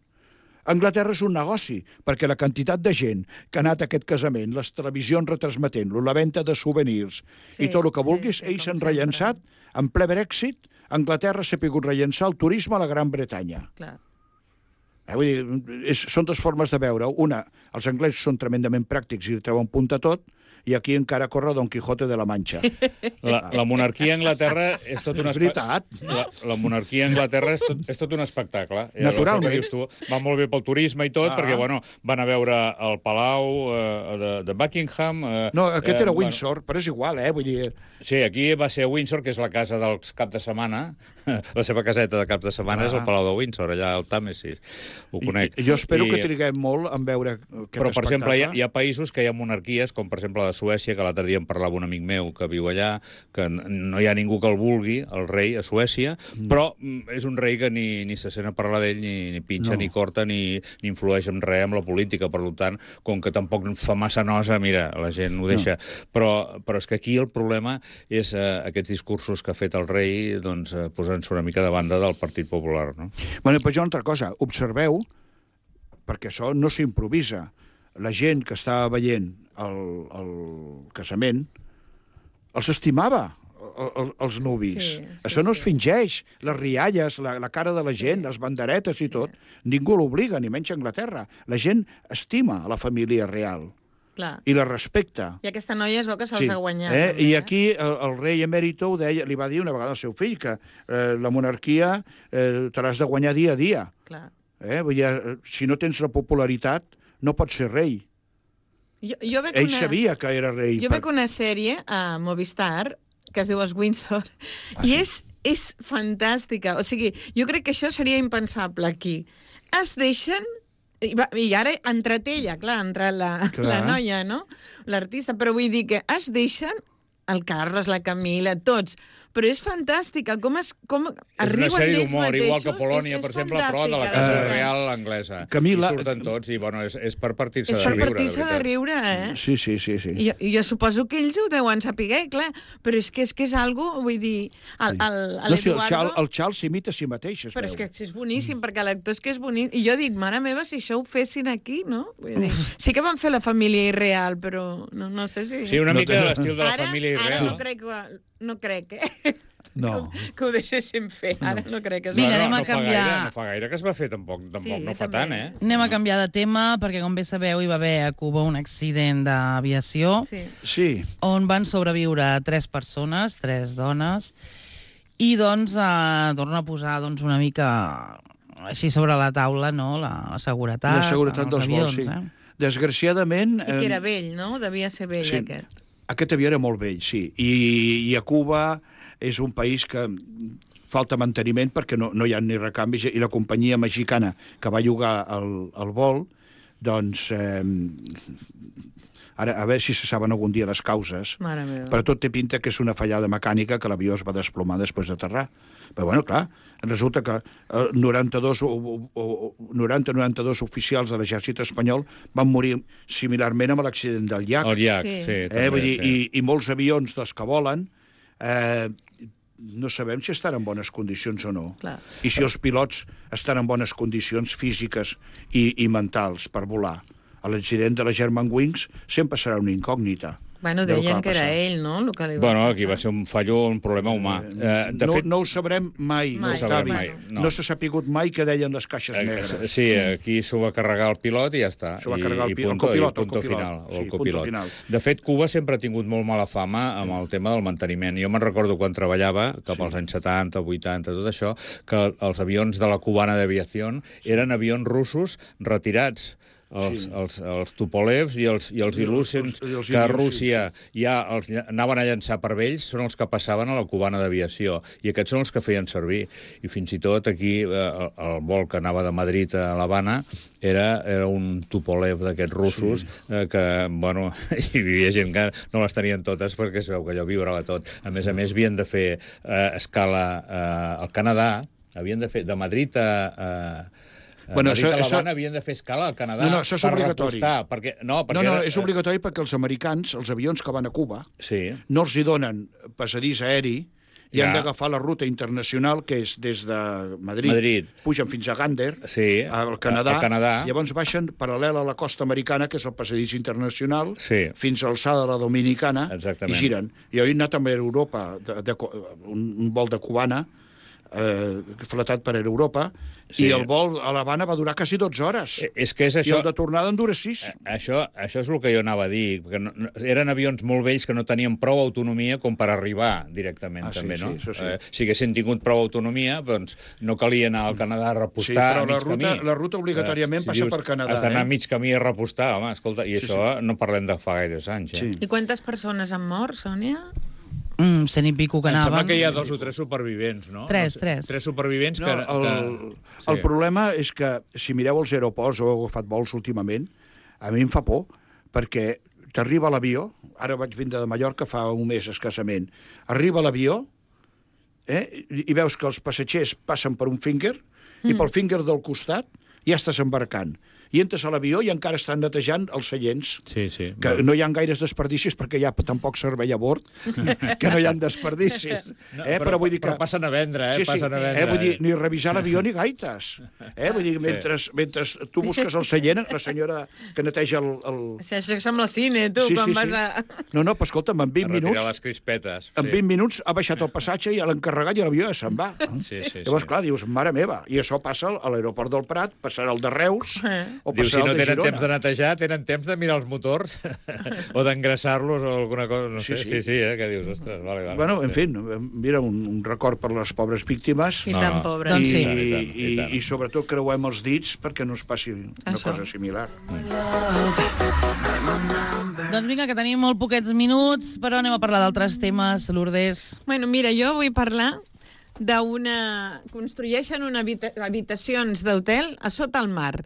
Anglaterra és un negoci, perquè la quantitat de gent que ha anat a aquest casament, les televisions retransmetent-lo, la venda de souvenirs
Sí,
i tot el que
sí,
vulguis,
sí,
ells
com
s'han
sempre.
rellençat, en ple Brexit, Anglaterra s'ha pogut rellençar el turisme a la Gran Bretanya.
Clar.
Vull dir, són dues formes de veure. Una, els anglesos són tremendament pràctics i treuen punta tot, i aquí encara corre Don Quijote de la Mancha.
La monarquia a Anglaterra és tot un
És veritat.
La monarquia a Anglaterra és tot un espectacle.
Naturalment.
El que dius tu, va molt bé pel turisme i tot, perquè bueno, van a veure el Palau de Buckingham.
No, aquest era Windsor, però és igual, vull dir...
Sí, aquí va ser a Windsor, que és la casa dels cap de setmana. La seva caseta de cap de setmana és el Palau de Windsor, allà al Tàmesi. Ho conec.
Jo espero que triguem molt en veure aquest
Però, per exemple,
espectacle.
hi ha països que hi ha monarquies, com per exemple de Suècia, que l'altre dia em parlava un amic meu que viu allà, que no hi ha ningú que el vulgui, el rei, a Suècia, però és un rei que ni se sent a parlar d'ell, ni pinxa, ni corta, ni influeix en res amb la política. Per tant, com que tampoc fa massa nosa, mira, la gent ho deixa. Però és que aquí el problema és aquests discursos que ha fet el rei, doncs, posant-se una mica de banda del Partit Popular, no?
Bueno, però jo una altra cosa, observeu, perquè això no s'improvisa, la gent que estava veient el casament els estimava, els nuvis.
Sí,
Això no es fingeix. Les rialles, la cara de la gent, les banderetes i tot, ningú l'obliga, ni menys a Anglaterra. La gent estima a la família real
Clar.
i la respecta.
I aquesta noia es veu que se'ls ha guanyat.
I aquí el rei emèrito li va dir una vegada al seu fill que la monarquia te l'has de guanyar dia a dia.
Clar.
Vull dir, si no tens la popularitat, no pots ser rei.
Jo veig
Ell sabia que era rei.
Jo veig una sèrie a Movistar que es diu Els Windsor, i és fantàstica. O sigui, jo crec que això seria impensable aquí. Es deixen, i ara entre ella, clar, entre la noia, no? L'artista, però vull dir que es deixen el Carles, la Camila, tots. Però és fantàstica, com
És
arriben
una sèrie
d'ells
d'humor,
mateixos.
igual que Polònia, per exemple, però de la
fantàstica,
casa
veritat.
real anglesa.
Camila-
I surten tots, i bueno, és per partir-se
És
de
per
riure,
partir-se de
veritat.
riure, eh?
Sí.
Jo suposo que ells ho deuen saber, clar, però és que és algo, vull dir,
No, si
l'Eduardo...
el Charles s'imita a si mateix, es
Però
veu.
és que és boníssim, perquè l'actor és que és bonic. I jo dic, mare meva, si això ho fessin aquí, no? Vull dir, sí que van fer la família irreal, però no sé si...
Sí, una
No
mica
té-
de l'estil de la família
Ara
irreal.
no crec
No.
que ho deixéssim fer. Ara no crec que...
Mira, anem a
no fa
canviar.
gaire, no fa gaire que es va fer, tampoc
Sí,
no fa
també.
tant, eh?
Anem a canviar de tema, perquè com bé sabeu hi va haver a Cuba un accident d'aviació
Sí.
Sí.
on van sobreviure 3 persones, 3 dones, i doncs torna a posar una mica així sobre la taula, no?, la seguretat,
La seguretat
en els
dels vols,
avions,
sí. Desgraciadament...
I que era vell, no? Devia ser vell,
sí.
aquest.
Aquest avió era molt vell, sí. I a Cuba és un país que falta manteniment perquè no hi ha ni recanvis, i la companyia mexicana que va llogar el vol, doncs, ara, a veure si se saben algun dia les causes,
Mare meva.
però tot té pinta que és una fallada mecànica, que l'avió es va desplomar després d'aterrar. Però, bueno, clar, resulta que 90-92 oficials de l'exèrcit espanyol van morir similarment amb l'accident del llac.
El llac,
Sí.
sí. També,
Vull dir,
sí.
i molts avions dels que volen no sabem si estan en bones condicions o no.
Clar.
I si els pilots estan en bones condicions físiques i mentals per volar. L'accident de la Germanwings sempre serà una incògnita.
Bueno,
del
deien
va
que era
passar.
ell, no?, el que li va
Bueno,
passar.
aquí va ser un fallo, un problema humà. De
No,
fet,
no ho sabrem mai,
Mai.
Octavi.
No ho sabrem mai, no.
No s'ha sapigut mai què deien les caixes negres.
sí, aquí s'ho va carregar el pilot i ja està.
S'ho va carregar el
I
pilot, el
punto,
copilot,
i punto
el copilot.
final,
Sí,
el
punto
copilot.
final.
De fet, Cuba sempre ha tingut molt mala fama amb el tema del manteniment. Jo me'n recordo quan treballava, cap als anys 70, 80, tot això, que els avions de la cubana d'aviació eren avions russos retirats. Els Tupolevs i els Ilyushin,
i els
que a
Ilyushin,
Rússia ja els anaven a llançar per ells, són els que passaven a la cubana d'aviació. I aquests són els que feien servir. I fins i tot aquí el vol que anava de Madrid a l'Havana era un Tupolev d'aquests russos que, bueno, hi vivia gent que no les tenien totes perquè es veu que allò vibrava tot. A més, havien de fer escala al Canadà, havien de fer de Madrid a Madrid a l'Havana havien de fer escala al Canadà
això és obligatori.
perquè
és obligatori perquè els americans, els avions que van a Cuba,
Sí.
no els hi donen passadís aeri i han
Ja.
d'agafar la ruta internacional, que és des de Madrid. Pugen fins a Gander,
Sí,
al Canadà,
al Canadà.
llavors baixen paral·lel a la costa americana, que és el passadís internacional,
Sí.
fins a l'alçada de la Dominicana,
Exactament.
i giren. I jo he anat també a Europa, un vol de cubana, fletat per Europa,
Sí.
i el vol a l'Havana va durar quasi 12 hores.
És que és
I
això...
el de tornada en dura 6.
Això és el que jo anava a dir, perquè eren avions molt vells que no tenien prou autonomia com per arribar directament,
Ah, sí,
també, no?
sí, això sí.
Si haguessin tingut prou autonomia, doncs no calia anar al Canadà a repostar
però
a mig camí.
la ruta obligatòriament passa per Canadà,
Has d'anar a
eh?
mig camí a repostar, home, escolta, i això no parlem de fa gaires anys,
Sí.
I quantes persones han mort, Sònia?
100 i pico que
Em
anaven.
sembla que hi ha 2 o 3 supervivents, no?
Tres.
3 supervivents
No,
que...
el problema és que, si mireu els aeroports o heu agafat vols últimament, a mi em fa por, perquè t'arriba l'avió, ara vaig vindre de Mallorca fa un mes escassament, arriba l'avió, i veus que els passatgers passen per un finger, i pel finger del costat ja estàs embarcant. I entres a l'avió i encara estan netejant els seients.
Sí, sí.
Que no hi ha gaires desperdicis perquè hi ha tampoc servei a bord, que no hi ha desperdicis. Però vull dir que...
Però passen a vendre, passen a vendre.
Vull dir, ni revisar l'avió ni gaites. Vull dir, mentre tu busques el seient, la senyora que neteja el...
Això sembla cine, tu, quan vas a...
No, però escolta'm, en 20
retirar
minuts...
les crispetes.
En 20 minuts ha baixat el passatge i l'encarregat i l'avió ja se'n va.
Sí.
Llavors, clar, dius, mare meva, i això passa a l'aeroport del Prat, passarà el de Reus, o
Diu, si
passarà
no
el de
tenen
Girona.
temps de netejar, tenen temps de mirar els motors o d'engraçar-los o alguna cosa, no sé.
Sí.
Sí, que dius, ostres, vale.
Bueno, en fi, mira, un record per les pobres víctimes.
I tan pobres.
Doncs sí.
I tant.
I sobretot creuem els dits perquè no es passi una
Això.
cosa similar.
Doncs vinga, que tenim molt poquets minuts, però anem a parlar d'altres temes, Lourdes.
Bueno, mira, jo vull parlar d'una... Construeixen habitacions d'hotel a sota el mar.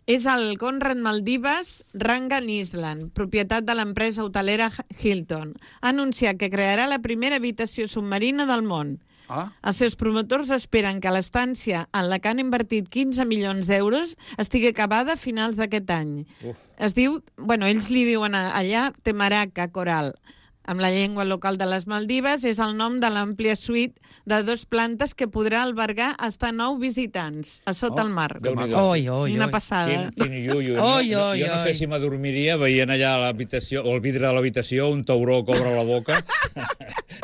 És el Conrad Maldives Rangan Island, propietat de l'empresa hotelera Hilton. Ha anunciat que crearà la primera habitació submarina del món. Els seus promotors esperen que l'estància en la que han invertit 15 milions d'euros estigui acabada a finals d'aquest any. Es diu, ells li diuen allà Temaraca Coral. Amb la llengua local de les Maldives, és el nom de l'àmplia suite de 2 plantes que podrà albergar fins a 9 visitants a sota el mar. Una passada.
Quin iuiu. Jo no sé si m'adormiria veient allà a l'habitació, o al vidre de l'habitació, un tauró cobra la boca.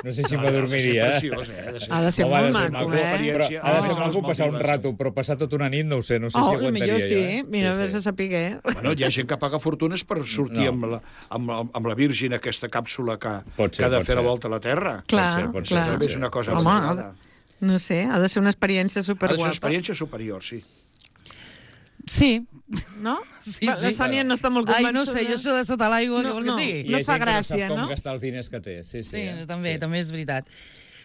No sé si m'adormiria.
Ha de ser molt maco,
Ha de ser maco passar un rato, però passar tota una nit no ho sé, no sé si aguantaria.
Millor sí, mira, vés a saber.
Hi ha gent que paga fortunes per sortir amb la Virgin, aquesta càpsula que ha de fer la volta a la Terra.
Clar.
També és una cosa absurda.
No sé, ha de ser una experiència superguapa.
Ha de ser una experiència superior, sí.
Sí.
No?
Sí.
La Sònia no està molt convençuda.
Ai, no sé, jo això de sota l'aigua, què vol que et digui?
No fa gràcia, no?
I hi ha gent que no sap com gastar els diners que té.
Sí, també és veritat.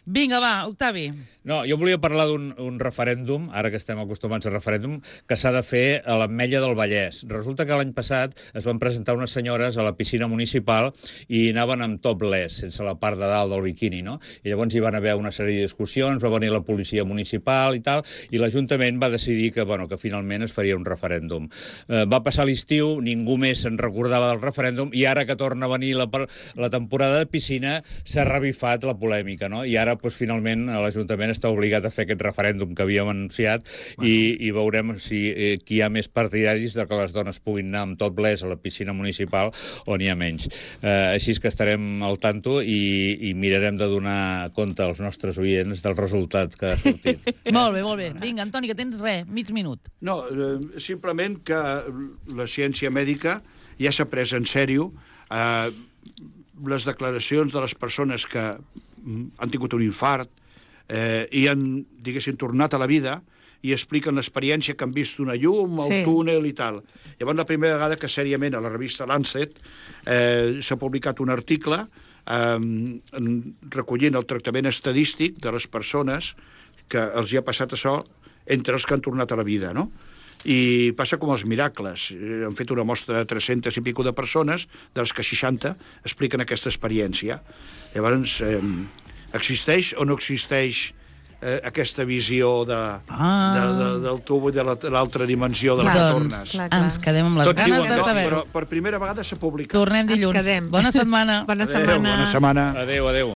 Vinga, va, Octavi.
No, jo volia parlar d'un referèndum, ara que estem acostumats a referèndum, que s'ha de fer a l'Ametlla del Vallès. Resulta que l'any passat es van presentar unes senyores a la piscina municipal i anaven amb topless, sense la part de dalt del biquini, no? I llavors hi van haver una sèrie de discussions, va venir la policia municipal i tal, i l'Ajuntament va decidir que finalment es faria un referèndum. Va passar l'estiu, ningú més se'n recordava del referèndum, i ara que torna a venir la temporada de piscina s'ha revifat la polèmica, no? I ara, finalment, l'Ajuntament està obligat a fer aquest referèndum que havíem anunciat i veurem si qui hi ha més partidaris de que les dones puguin anar amb topless a la piscina municipal o n'hi ha menys. Així que estarem al tanto i mirarem de donar compte als nostres oients del resultat que ha sortit.
Molt bé. Vinga, Antoni, que tens mig minut.
No, simplement que la ciència mèdica ja s'ha pres en sèrio les declaracions de les persones que han tingut un infart i han, diguéssim, tornat a la vida i expliquen l'experiència que han vist una llum, el túnel i tal. Llavors, la primera vegada que sèriament a la revista Lancet s'ha publicat un article recollint el tractament estadístic de les persones que els hi ha passat això entre els que han tornat a la vida, no? I passa com els miracles. Han fet una mostra de 300 i pico de persones, de les que 60 expliquen aquesta experiència. Llavors, existeix o no existeix aquesta visió del tub i de l'altra dimensió de la que tornes?
Ens quedem amb les ganes de saber-ho.
Però per primera vegada s'ha publicat.
Tornem dilluns. Bona setmana.
Bona setmana.
Bona setmana.
Adéu.